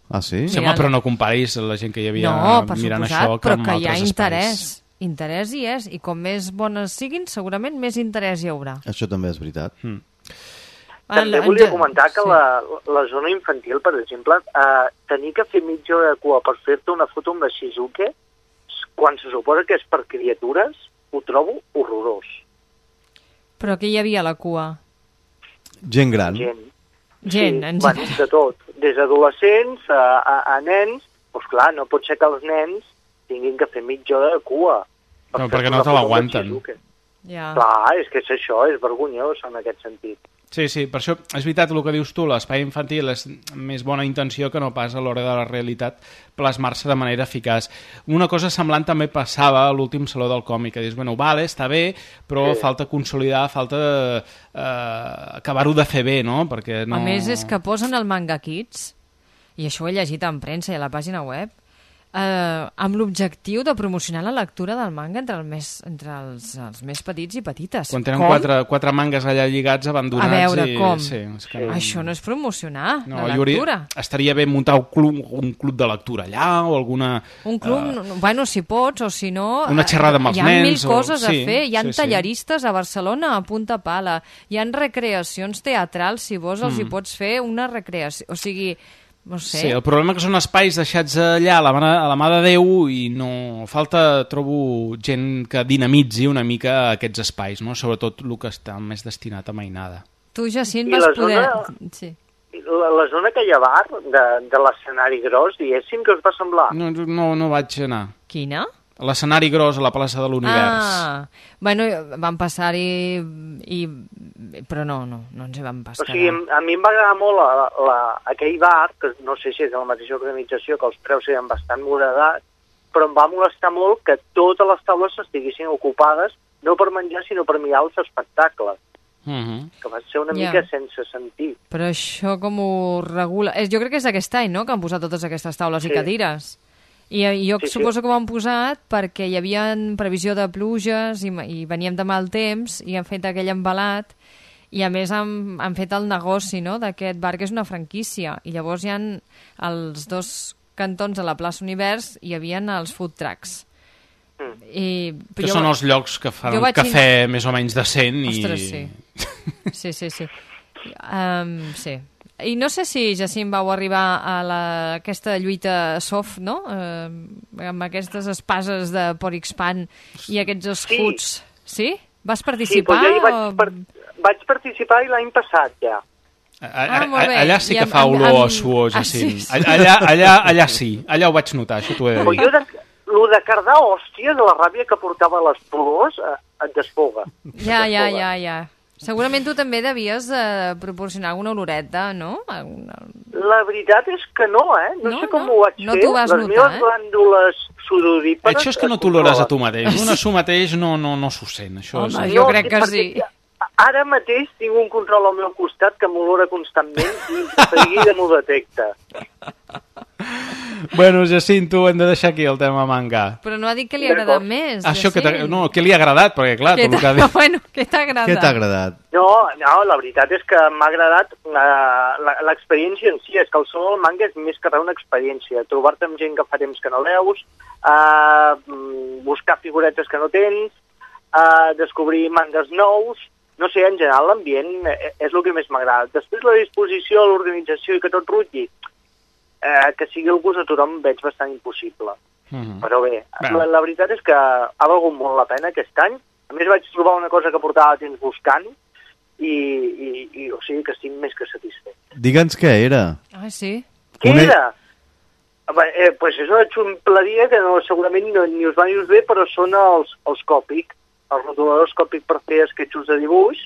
Ah, sí? Sí, home, però no comparis la gent que hi havia mirant això que amb altres espais. No, però que hi ha interès. Interès hi és, i com més bones siguin, segurament més interès hi haurà. Això també és veritat. També volia comentar que la zona infantil, per exemple, tenir que fer mitja hora de cua per fer-te una foto amb la Shizuke, quan se suposa que és per criatures, ho trobo horrorós. Però què hi havia a la cua? Gent gran. Gent, de tot. Des d'adolescents a nens, doncs clar, no pot ser que els nens tinguin que fer mitja hora de cua. No, perquè no te l'aguanten. Clar, és que és això, és vergonyós en aquest sentit. Sí, per això és veritat el que dius tu, l'espai infantil és més bona intenció que no pas a l'hora de la realitat plasmar-se de manera eficaç. Una cosa semblant també passava a l'últim Saló del Còmic, que dius, bueno, vale, està bé, però falta consolidar, falta acabar-ho de fer bé, no? Perquè no... A més, és que posen el Manga Kids, i això ho he llegit en premsa i a la pàgina web, amb l'objectiu de promocionar la lectura del manga entre els més petits i petites. Quan tenen quatre mangas allà lligats abandonats. A veure, com? Sí, això no és promocionar la lectura. Estaria bé muntar un club de lectura allà o alguna... Un club, bueno, si pots, o si no... Una xerrada amb els nens. Hi ha mil coses a fer. Hi ha talleristes a Barcelona a punta pala. Hi ha recreacions teatrals, si vols, els hi pots fer una recreació. O sigui... No sé. Sí, el problema que són espais deixats allà a la mà de Déu i no... Falta, trobo, gent que dinamitzi una mica aquests espais, no? Sobretot el que està més destinat a mainada. Tu, Jacint, vas poder... Sí. La zona que hi ha bar de l'escenari gros, diguéssim, que us va semblar? No vaig anar. Quina? L'escenari gros a la plaça de l'Univers. Bueno, vam passar-hi, però no ens hi vam passar. O sigui, a mi em va agradar molt aquell bar, que no sé si és de la mateixa organització, que els preus eren bastant moderats, però em va molestar molt que totes les taules estiguessin ocupades, no per menjar, sinó per mirar els espectacles. Que va ser una mica sense sentit. Però això com ho regula? Jo crec que és d'aquest any, no?, que han posat totes aquestes taules i cadires. I jo suposo que ho han posat perquè hi havia previsió de pluges i veníem de mal temps i han fet aquell embalat i a més han fet el negoci, no?, d'aquest bar, que és una franquícia, i llavors hi ha els dos cantons de la plaça Univers hi havia els food trucks. Que són els llocs que fan un cafè més o menys decent. Ostres, sí. Sí. Sí. I no sé si, Jacint, vau arribar a aquesta lluita soft, no? Amb aquestes espases de Porixpan i aquests escuts. Sí? Vas participar? Sí, vaig participar i l'any passat, ja. Allà sí que fa olor a suor, Jacint. Allà sí, allà ho vaig notar, això t'ho he de dir. Lo de cardar hòsties, la ràbia que portava a les plors, et desfoga. Ja. Segurament tu també devies proporcionar alguna oloreta, no? La veritat és que no, No sé com ho vaig fer. No t'ho vas notar, Les meves glàndules sudorípares... Això és que no t'olores a tu mateix. Un a su mateix no s'ho sent. Home, jo crec que sí. Ara mateix tinc un control al meu costat que m'olora constantment i de seguida m'ho detecta. Bueno, Jacint, tu hem de deixar aquí el tema manga. Però no ha dit que li ha agradat més. Això que li ha agradat, perquè clar... Bueno, què t'ha agradat? Què t'ha agradat? No, la veritat és que m'ha agradat l'experiència en si. És que el sol del manga és més que res una experiència. Trobar-te amb gent que fa temps que no veus, buscar figuretes que no tens, descobrir mangas nous... No sé, en general l'ambient és el que més m'agrada. Després la disposició, l'organització i que tot rutlli, que sigui el gust de tothom veig bastant impossible. Però bé, la veritat és que ha valgut molt la pena aquest any. A més vaig trobar una cosa que portava temps buscant i o sigui que estic més que satisfet. Digue'ns què era. Ah, sí? Què era? Pues és una xumpleria que segurament ni us va ni us ve, però són els Copic. Els rotuladors Copic per fer esquetxos de dibuix,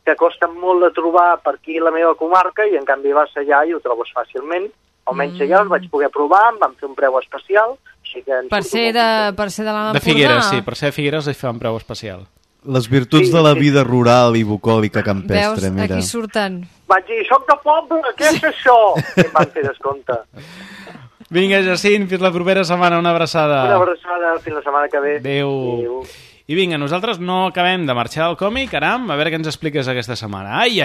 que costen molt de trobar per aquí a la meva comarca, i en canvi vas allà i ho trobes fàcilment. Almenys allà els vaig poder provar, em van fer un preu especial. Així que per ser de l'Empordà? De Figueres, sí, per ser de Figueres es fa un preu especial. Les virtuts de la vida rural i bucòlica campestre, mira. Veus, aquí surten. Vaig dir, soc de poble, què és això? I em van fer descompte. Vinga, Jacint, fins la propera setmana, una abraçada. Una abraçada, fins la setmana que ve. Adéu. I vinga, nosaltres no acabem de marxar del còmic, Aram, a veure què ens expliques aquesta setmana. Ai.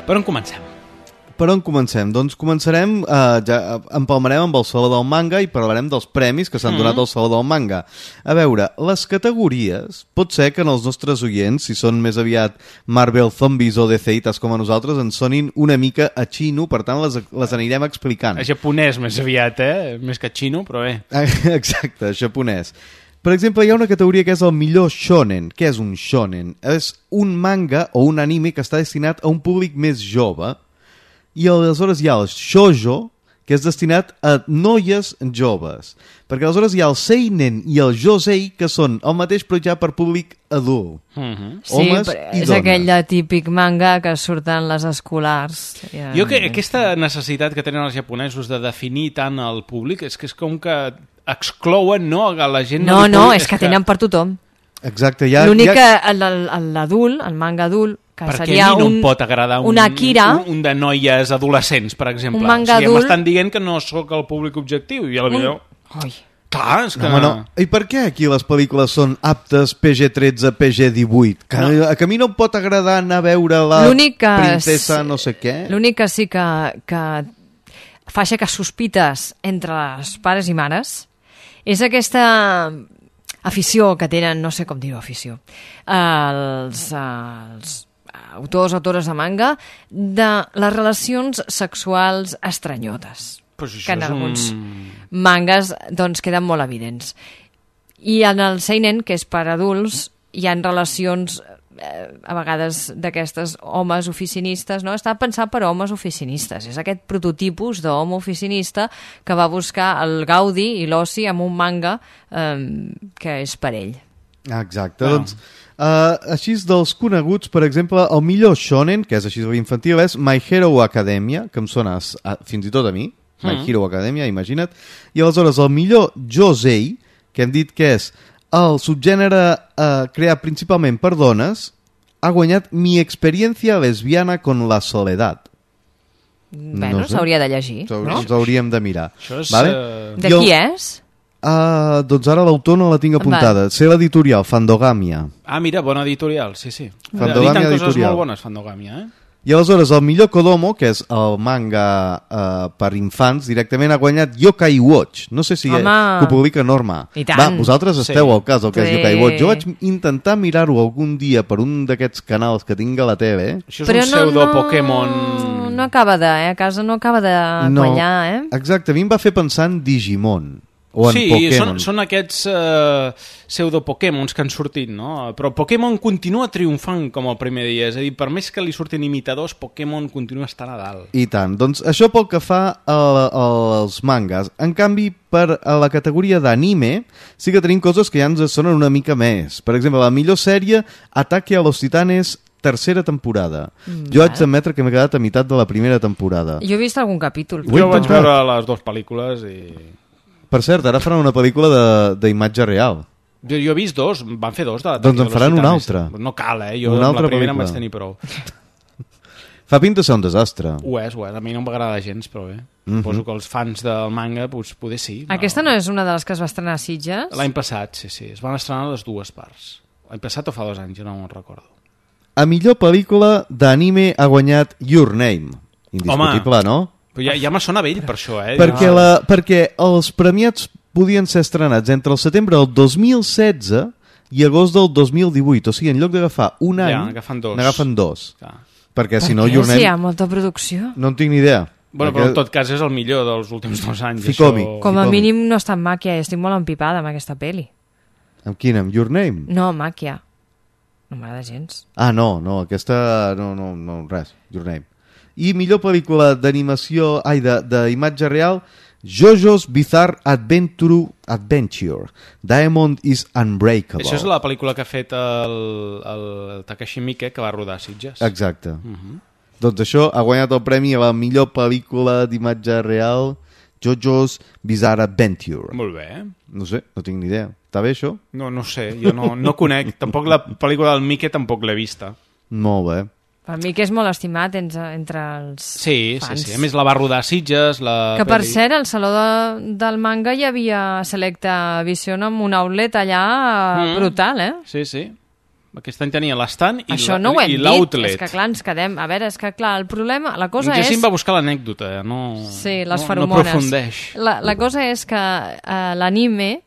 Per on comencem? Per on comencem? Doncs començarem, ja empalmarem amb el Saló del Manga i parlarem dels premis que s'han donat al Saló del Manga. A veure, les categories, pot ser que en els nostres oients, si són més aviat Marvel Zombies o DC-ites com a nosaltres, ens sonin una mica a xino, per tant les anirem explicant. A japonès més aviat, més que a xino, però bé. Exacte, japonès. Per exemple, hi ha una categoria que és el millor shonen. Què és un shonen? És un manga o un anime que està destinat a un públic més jove. I aleshores hi ha el shoujo, que és destinat a noies joves. Perquè aleshores hi ha el seinen i el josei, que són el mateix però ja per públic adult. Sí, és aquell típic manga que surten les escolars. Jo que aquesta necessitat que tenen els japonesos de definir tant el públic és que és com que exclouen, no, a la gent... No, és que tenen per tothom. Exacte. L'únic que l'adult, el manga adult, perquè a mi no em pot agradar un de noies adolescents, per exemple. Un manga adult... M'estan dient que no sóc el públic objectiu i potser... Clar, és que... No. I per què aquí les pel·lícules són aptes PG-13, PG-18? Que a mi no em pot agradar anar a veure la princesa no sé què? L'únic que sí que fa aixecar sospites entre els pares i mares és aquesta afició que tenen, no sé com dir-ho, afició, els autores de manga de les relacions sexuals estranyotes, que en alguns mangas doncs queden molt evidents. I en el seinen, que és per adults, hi ha relacions a vegades d'aquestes homes oficinistes, no? Està pensat per homes oficinistes. És aquest prototipus d'home oficinista que va buscar el gaudi i l'oci amb un manga que és per ell. Exacte, doncs així dels coneguts, per exemple, el millor shonen, que és així infantil, és My Hero Academia, que em sona fins i tot a mi, My Hero Academia, imagina't, i aleshores el millor josei, que hem dit que és el subgènere creat principalment per dones, ha guanyat Mi experiencia lesbiana con la soledad. Bueno, s'hauria de llegir, no? Ens hauríem de mirar. És, de qui és? Doncs ara l'autor no la tinc apuntada. Sé l'editorial, Fandogamia. Mira, bona editorial, sí. Fandogamia editen coses editorial. molt bones, Fandogamia, I aleshores el millor Kodomo, que és el manga per infants, directament ha guanyat Yokai Watch. No sé si ho publica Norma. I tant. Vosaltres esteu al cas del que és Yokai Watch. Jo vaig intentar mirar-ho algun dia per un d'aquests canals que tinc a la TV. Això és un pseudo-Pokémon... No acaba de, a casa no acaba de quallar, Exacte, a mi em va fer pensar en Digimon. Són aquests pseudo-Pokémons que han sortit, no? Però Pokémon continua triomfant com el primer dia, és a dir, per més que li surtin imitadors, Pokémon continua estant a dalt. I tant, doncs això pel que fa als mangas. En canvi, per a la categoria d'anime, sí que tenim coses que ja ens sonen una mica més. Per exemple, la millor sèrie, Ataque a los Titanes, tercera temporada. Jo haig d'admetre que m'he quedat a meitat de la primera temporada. Jo he vist algun capítol. Jo vaig veure les dues pel·lícules i... Per cert, ara faran una pel·lícula d'imatge real. Jo he vist dos, van fer dos. Doncs en faran una altra. No cal, jo amb la primera em vaig tenir prou. Fa pinta ser un desastre. Ho és, a mi no m'agrada gens, però bé. Suposo que els fans del manga poder sí. Aquesta no és una de les que es va estrenar a Sitges? L'any passat, sí. Es van estrenar les dues parts. L'any passat o fa 2 anys, jo no me'n recordo. A millor pel·lícula d'anime ha guanyat Your Name. Indiscutible, no? Però ja me sona vell per això, Perquè els premiats podien ser estrenats entre el setembre del 2016 i agost del 2018. O sigui, en lloc d'agafar un any, n'agafen dos. Perquè si no, Your Name... Si hi ha molta producció. No en tinc ni idea. Bueno, però en tot cas és el millor dels últims 2 anys. Com a mínim no està en Màquia, estic molt empipada amb aquesta pel·li. Amb quina? Amb Your Name? No, Màquia. No m'agrada gens. No, aquesta... No, res. Your Name. I millor pel·lícula d'animació, d'imatge real, JoJo's Bizarre Adventure. Diamond is Unbreakable. Això és la pel·lícula que ha fet el Takashi Miike, que va rodar a Sitges. Exacte. Doncs això ha guanyat el premi a la millor pel·lícula d'imatge real, JoJo's Bizarre Adventure. Molt bé. No sé, no tinc ni idea. Està bé, això? No sé, jo no conec. Tampoc la pel·lícula del Miike tampoc l'he vista. Molt bé. Per mi que és molt estimat entre els fans. Sí. A més, la va rodar a Sitges. Que per cert, al Saló del Manga hi havia Selecta Vision amb un outlet allà brutal, Sí. Aquest any tenia l'estand i això no ho hem l'outlet. Dit, és que clar, ens quedem... A veure, és que clar, el problema... La cosa és... Jacint va buscar l'anècdota, Sí, les feromones. No aprofundeix. La cosa és que l'anime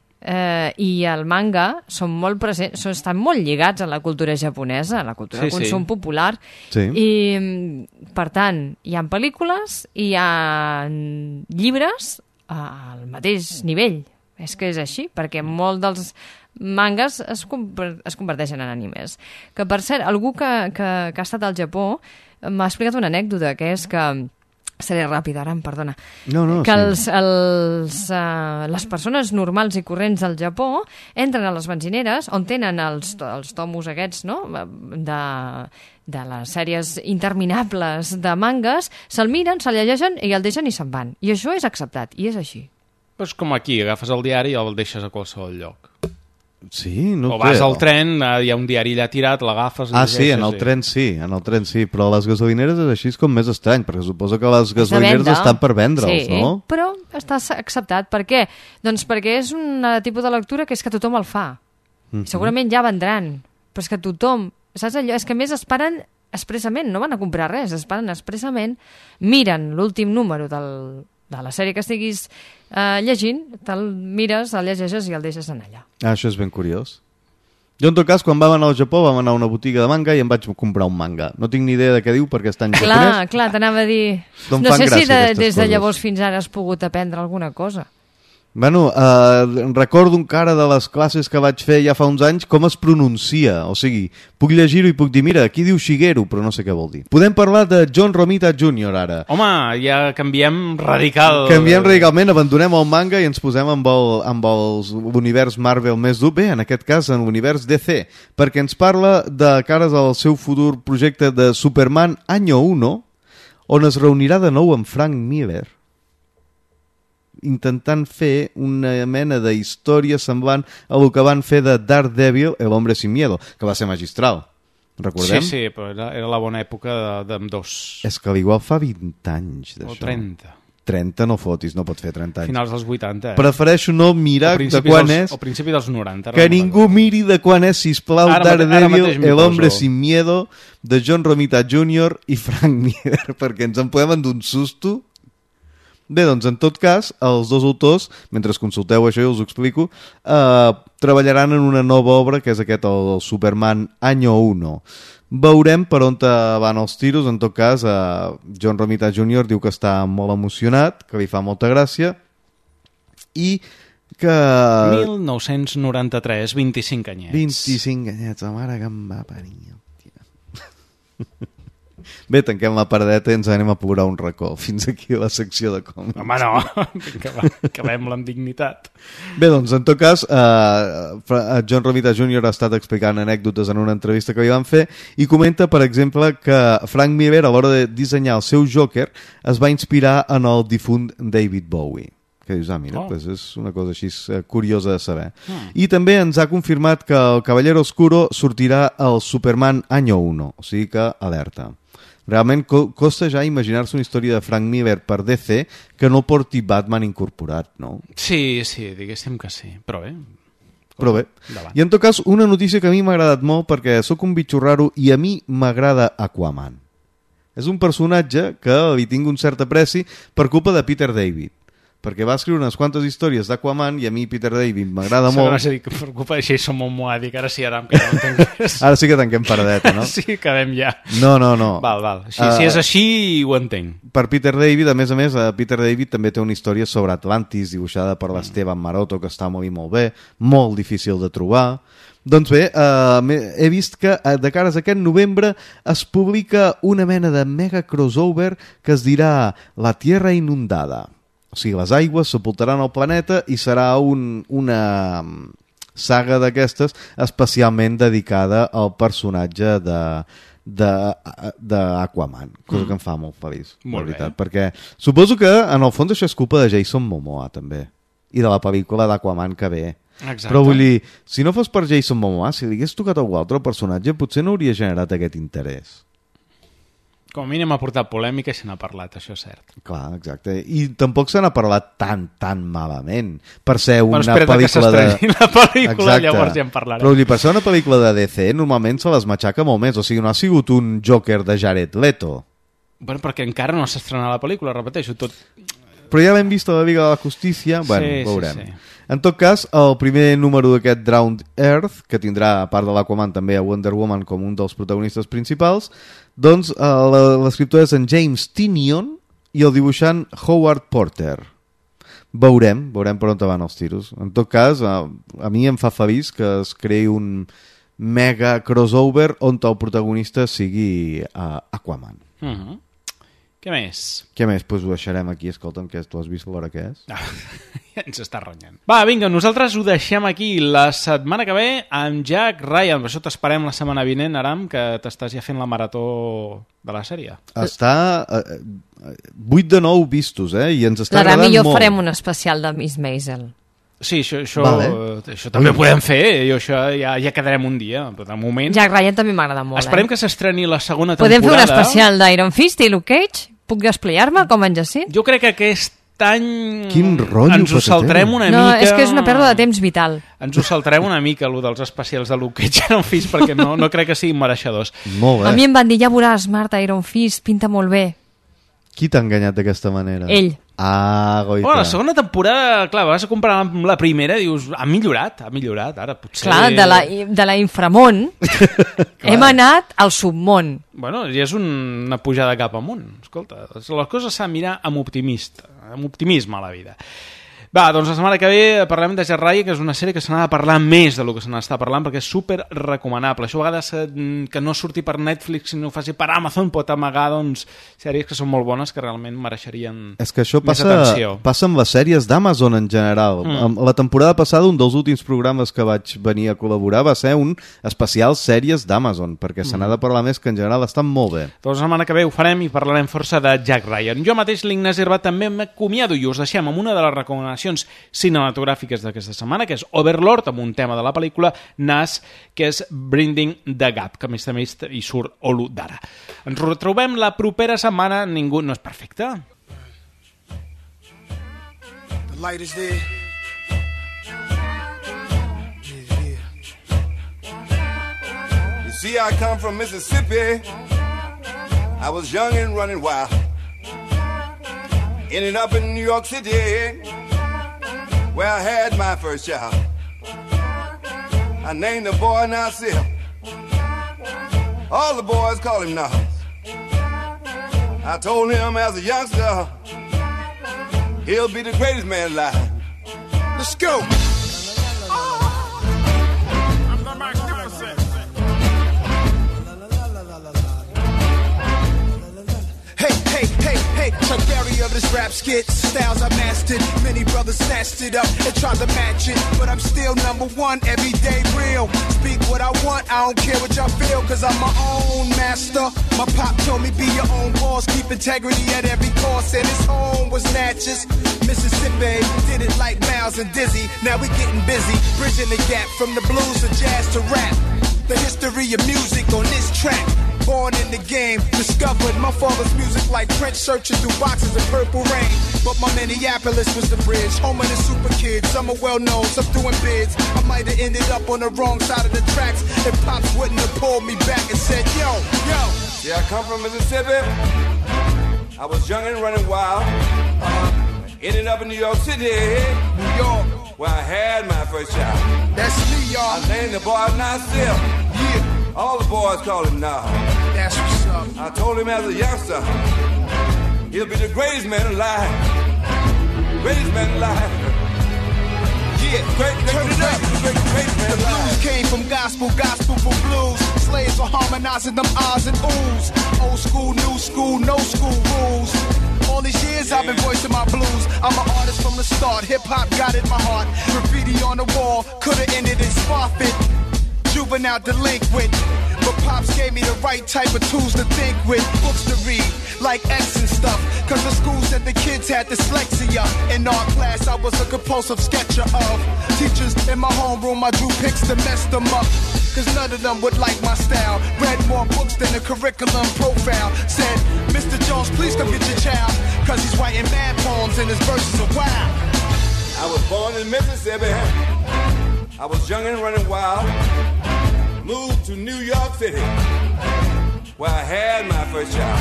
i el manga són molt presents, estan molt lligats a la cultura japonesa, a la cultura de consum popular. Sí. I, per tant, hi ha pel·lícules i hi ha llibres al mateix nivell. És que és així, perquè molt dels mangas es converteixen en animes. Que, per cert, algú que ha estat al Japó m'ha explicat una anècdota, que és que... Seré ràpida, ara, em perdona. Que les persones normals i corrents del Japó entren a les benzineres on tenen els tomos aquests, no?, de les sèries interminables de mangas, se'l miren, se'l llegeixen i el deixen i se'n van. I això és acceptat, i és així. És com aquí, agafes el diari i el deixes a qualsevol lloc. Sí, no o vas al tren, hi ha un diari allà tirat, l'agafes... Sí, en el tren sí, però a les gasolineres és així com més estrany, perquè suposo que les gasolineres estan per vendre'ls, no? Però està acceptat. Per què? Doncs perquè és un tipus de lectura que és que tothom el fa. Segurament ja vendran, però és que tothom... Saps allò? És que més esperen expressament, no van a comprar res, esperen expressament, miren l'últim número de la sèrie que estiguis llegint, te'l mires, el llegeixes i el deixes en allà. Això és ben curiós. Jo, en tot cas, quan vam anar al Japó, vam anar a una botiga de manga i em vaig comprar un manga. No tinc ni idea de què diu perquè està en japonès. Clar, t'anava a dir... No sé si des de llavors fins ara has pogut aprendre alguna cosa. Bueno, recordo encara de les classes que vaig fer ja fa uns anys com es pronuncia, o sigui, puc llegir-ho i puc dir, mira, aquí diu Shigeru, però no sé què vol dir. Podem parlar de John Romita Jr. ara. Home, ja canviem radical... Canviem radicalment, abandonem el manga i ens posem amb l'univers Marvel més dur, bé, en aquest cas en l'univers DC, perquè ens parla de cares al seu futur projecte de Superman Año 1, on es reunirà de nou amb Frank Miller, intentant fer una mena de història semblant a el que van fer de Daredevil, El hombre sin miedo, que va ser magistral. Recordem? Sí, però era la bona època d'ambdós. És que l'igual fa 20 anys d'això. O 30. 30 no fotis, no pot fer 30 anys. Finals dels 80. Prefereixo no mirar de quan és... O principi dels 90. Que ningú miri de quan és, sisplau, Daredevil, El hombre sin miedo, de John Romita Jr. i Frank Miller, perquè ens en podem endur un susto. Bé, doncs, en tot cas, els dos autors, mentre consulteu això, jo us ho explico, treballaran en una nova obra, que és aquest, el Superman Año 1. Veurem per on van els tiros. En tot cas, John Romita Jr. diu que està molt emocionat, que li fa molta gràcia, i que... 1993, 25 anyets. 25 anyets, la mare que em va parir. Bé, tanquem la paradeta i ens anem a plorar un racó. Fins aquí la secció de còmics. Home, no, acabem-la amb dignitat. Bé, doncs, en tot cas, John Romita Jr. ha estat explicant anècdotes en una entrevista que li van fer i comenta, per exemple, que Frank Miller, a l'hora de dissenyar el seu Joker, es va inspirar en el difunt David Bowie. Que dius, mira, pues és una cosa així curiosa de saber. I també ens ha confirmat que el Caballero Oscuro sortirà al Superman Año 1, o sigui que alerta. Realment costa ja imaginar-se una història de Frank Miller per DC que no porti Batman incorporat, no? Sí, diguéssim que sí, però bé. Però bé. I en tot cas, una notícia que a mi m'ha agradat molt perquè sóc un bitxo raro i a mi m'agrada Aquaman. És un personatge que li tinc un cert apreci per culpa de Peter David, perquè va escriure unes quantes històries d'Aquaman i a mi Peter David m'agrada molt. És a dir, que per culpa de Jason Momoa, dic ara sí, Aram, que no entenc res. Ara sí que tanquem paradeta, no? Sí, acabem ja. No. Val. Si és així, ho entenc. Per Peter David, a més, Peter David també té una història sobre Atlantis dibuixada per l'Esteban Maroto, que està molt bé, molt difícil de trobar. Doncs bé, he vist que de cares a aquest novembre es publica una mena de mega crossover que es dirà La Tierra Inundada. O sigui, les aigües sepultaran el planeta i serà una saga d'aquestes especialment dedicada al personatge d'Aquaman, cosa que em fa molt feliç, molt veritat, perquè suposo que en el fons això és culpa de Jason Momoa també, i de la pel·lícula d'Aquaman que ve. Exacte. Però vull dir, si no fos per Jason Momoa, si li hagués tocat a algú altre personatge, potser no hauria generat aquest interès. Com a mínim ha portat polèmica i se n'ha parlat, això és cert. Clar, exacte. I tampoc se n'ha parlat tan malament per ser una pel·lícula que s'estreni la pel·lícula, llavors ja en parlarem. Però per ser una pel·lícula de DC normalment se les matxaca molt més. O sigui, no ha sigut un Joker de Jared Leto. Bueno, perquè encara no s'ha estrenat la pel·lícula, repeteixo, tot... Però ja l'hem vist a la Liga de la Justícia, bueno, veurem. Sí. En tot cas, el primer número d'aquest Drowned Earth, que tindrà, a part de l'Aquaman, també a Wonder Woman com un dels protagonistes principals, doncs l'escriptor és en James Tynion i el dibuixant Howard Porter. Veurem per on van els tiros. En tot cas, a mi em fa feliç que es creï un mega crossover on el protagonista sigui Aquaman. Què més? Què més? Doncs ho deixarem aquí. Escolta'm, que tu has vist l'hora que és? Ja ens està renyant. Va, vinga, nosaltres ho deixem aquí. La setmana que ve amb Jack Ryan. Per això t'esperem la setmana vinent, Aram, que t'estàs ja fent la marató de la sèrie. Està 8 de 9 vistos, i ens està agradant molt. L'Aram i jo farem un especial de Miss Maisel. Sí, això també ho podem fer, i això ja quedarem un dia, però de moment... Jack Ryan també m'agrada molt. Esperem que s'estreni la segona temporada. Podem fer un especial d'Iron Fist i Luke Cage? Puc desplayar-me com en Jacint? Jo crec que aquest any quin rotllo ens ho saltarem una mica... No, és que és una pèrdua de temps vital. Ens ho saltarem una mica, allò dels especials de Luke Cage Iron Fist, perquè no crec que siguin mereixedors. Molt bé. A mi em van dir, ja veuràs, Marta, Iron Fist, pinta molt bé. Qui t'ha enganyat d'aquesta manera? Ell. Goita. Bueno, la segona temporada, clar, vas a comparar amb la primera, dius, ha millorat, ara potser... Clar, de la inframont hem anat al submont. Bueno, ja és una pujada cap amunt. Escolta, les coses s'han de mirar amb optimisme a la vida. Va, doncs la setmana que ve parlem de Jack Ryan, que és una sèrie que se n'ha de parlar més del que se n'està parlant, perquè és super recomanable. Això a vegades que no surti per Netflix, sinó ho faci per Amazon, pot amagar doncs, sèries que són molt bones, que realment mereixerien és que això més atenció. Passa amb les sèries d'Amazon en general. La temporada passada, un dels últims programes que vaig venir a col·laborar va ser un especial sèries d'Amazon, perquè se n'ha de parlar més, que en general estan molt bé. Doncs la setmana que ve ho farem i parlarem força de Jack Ryan. Jo mateix, l'Ignasi Herbat, també m'acomiado i us deixem amb una de les recomanacions cinematogràfiques d'aquesta setmana, que és Overlord, amb un tema de la pel·lícula Nas, que és Bridging the Gap, que a més hi surt Olu Dara. Ens retrobem la propera setmana. Ningú no és perfecte. Light is there. You see, I come from Mississippi. I was young and running wild. Ended up in New York City, where I had my first child. I named the boy Nasir. All the boys call him Nas. I told him as a youngster, he'll be the greatest man alive. Let's go. I'm the magnificent. Hey, Chuck Berry of this rap skit. Styles I mastered, many brothers snatched it up and tried to match it. But I'm still number one, everyday real. Speak what I want, I don't care what y'all feel, cause I'm my own master. My pop told me be your own boss, keep integrity at every cost. And his home was Natchez, Mississippi. Did it like Miles and Dizzy, now we getting busy. Bridging the gap from the blues to jazz to rap. The history of music on this track. Born in the game, discovered my father's music like Prince searching through boxes of Purple Rain. But my Minneapolis was the bridge, home of the super kids. Some are well known, some doing bids. I might have ended up on the wrong side of the tracks if Pops wouldn't have pulled me back and said, yo. Yeah, I come from Mississippi. I was young and running wild. Ended up in New York City, New York, where I had my first child. That's me, y'all. I named the boy Nasir. Yeah. All the boys call him Nas. That's what's up. I told him as a youngster, he'll be the greatest man alive. Greatest man alive. Yeah, great man alive. The blues came from gospel for blues. Slaves were harmonizing them ahs and oohs. Old school, new school, no school rules. All these years I've been voicing my blues. I'm an artist from the start. Hip-hop got in my heart. Graffiti on the wall, could've ended in Sparfit. Juvenile delinquent, but Pops gave me the right type of tools to think with. Books to read, like X and stuff, cause the school said the kids had dyslexia. In art class I was a compulsive sketcher of teachers in my homeroom. I drew pics to mess them up, cause none of them would like my style. Read more books than the curriculum profile. Said, Mr. Jones, please come get your child, cause he's writing mad poems and his verses are wild. I was born in Mississippi. I was young and running wild. Moved to New York City, where I had my first child.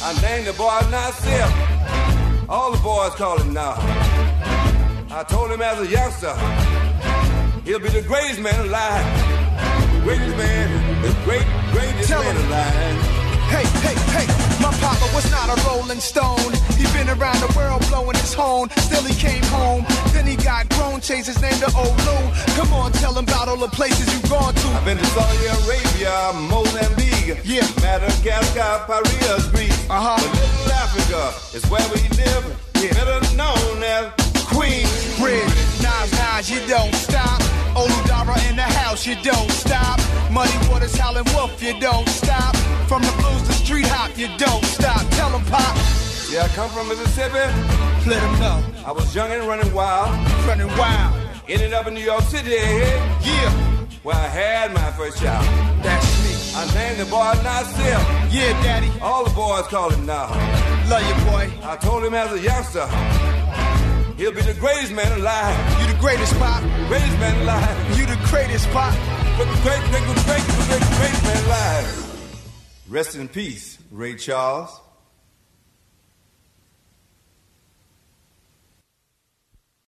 I named the boy Nasir. All the boys call him Nas. I told him as a youngster, he'll be the greatest man alive. Greatest man, the greatest man alive. Hey, my papa was not a rolling stone. He been around the world blowing his horn. Still he came home, then he got grown, changed his name to Olu. Come on, tell him about all the places you've gone to. I've been to Saudi Arabia, Mozambique, yeah, Madagascar, Paris, Greece. But Little Africa is where we live, yeah. Better known as Queensbridge. Nas, you don't stop. Oludara in the house, you don't stop. Muddy Waters, Howlin' Wolf, you don't stop. From the blues to street hop, you don't stop. Tell them, Pop. Yeah, I come from Mississippi. Let them know. I was young and running wild. Ended up in New York City. Yeah. Where I had my first child. That's me. I named the boy Nasir. Yeah, Daddy. All the boys call him Nas. Love you, boy. I told him as a youngster, he'll be the greatest man alive. You the greatest, Pop. Greatest man alive. You the greatest, Pop. Great man alive. Rest in peace, Ray Charles.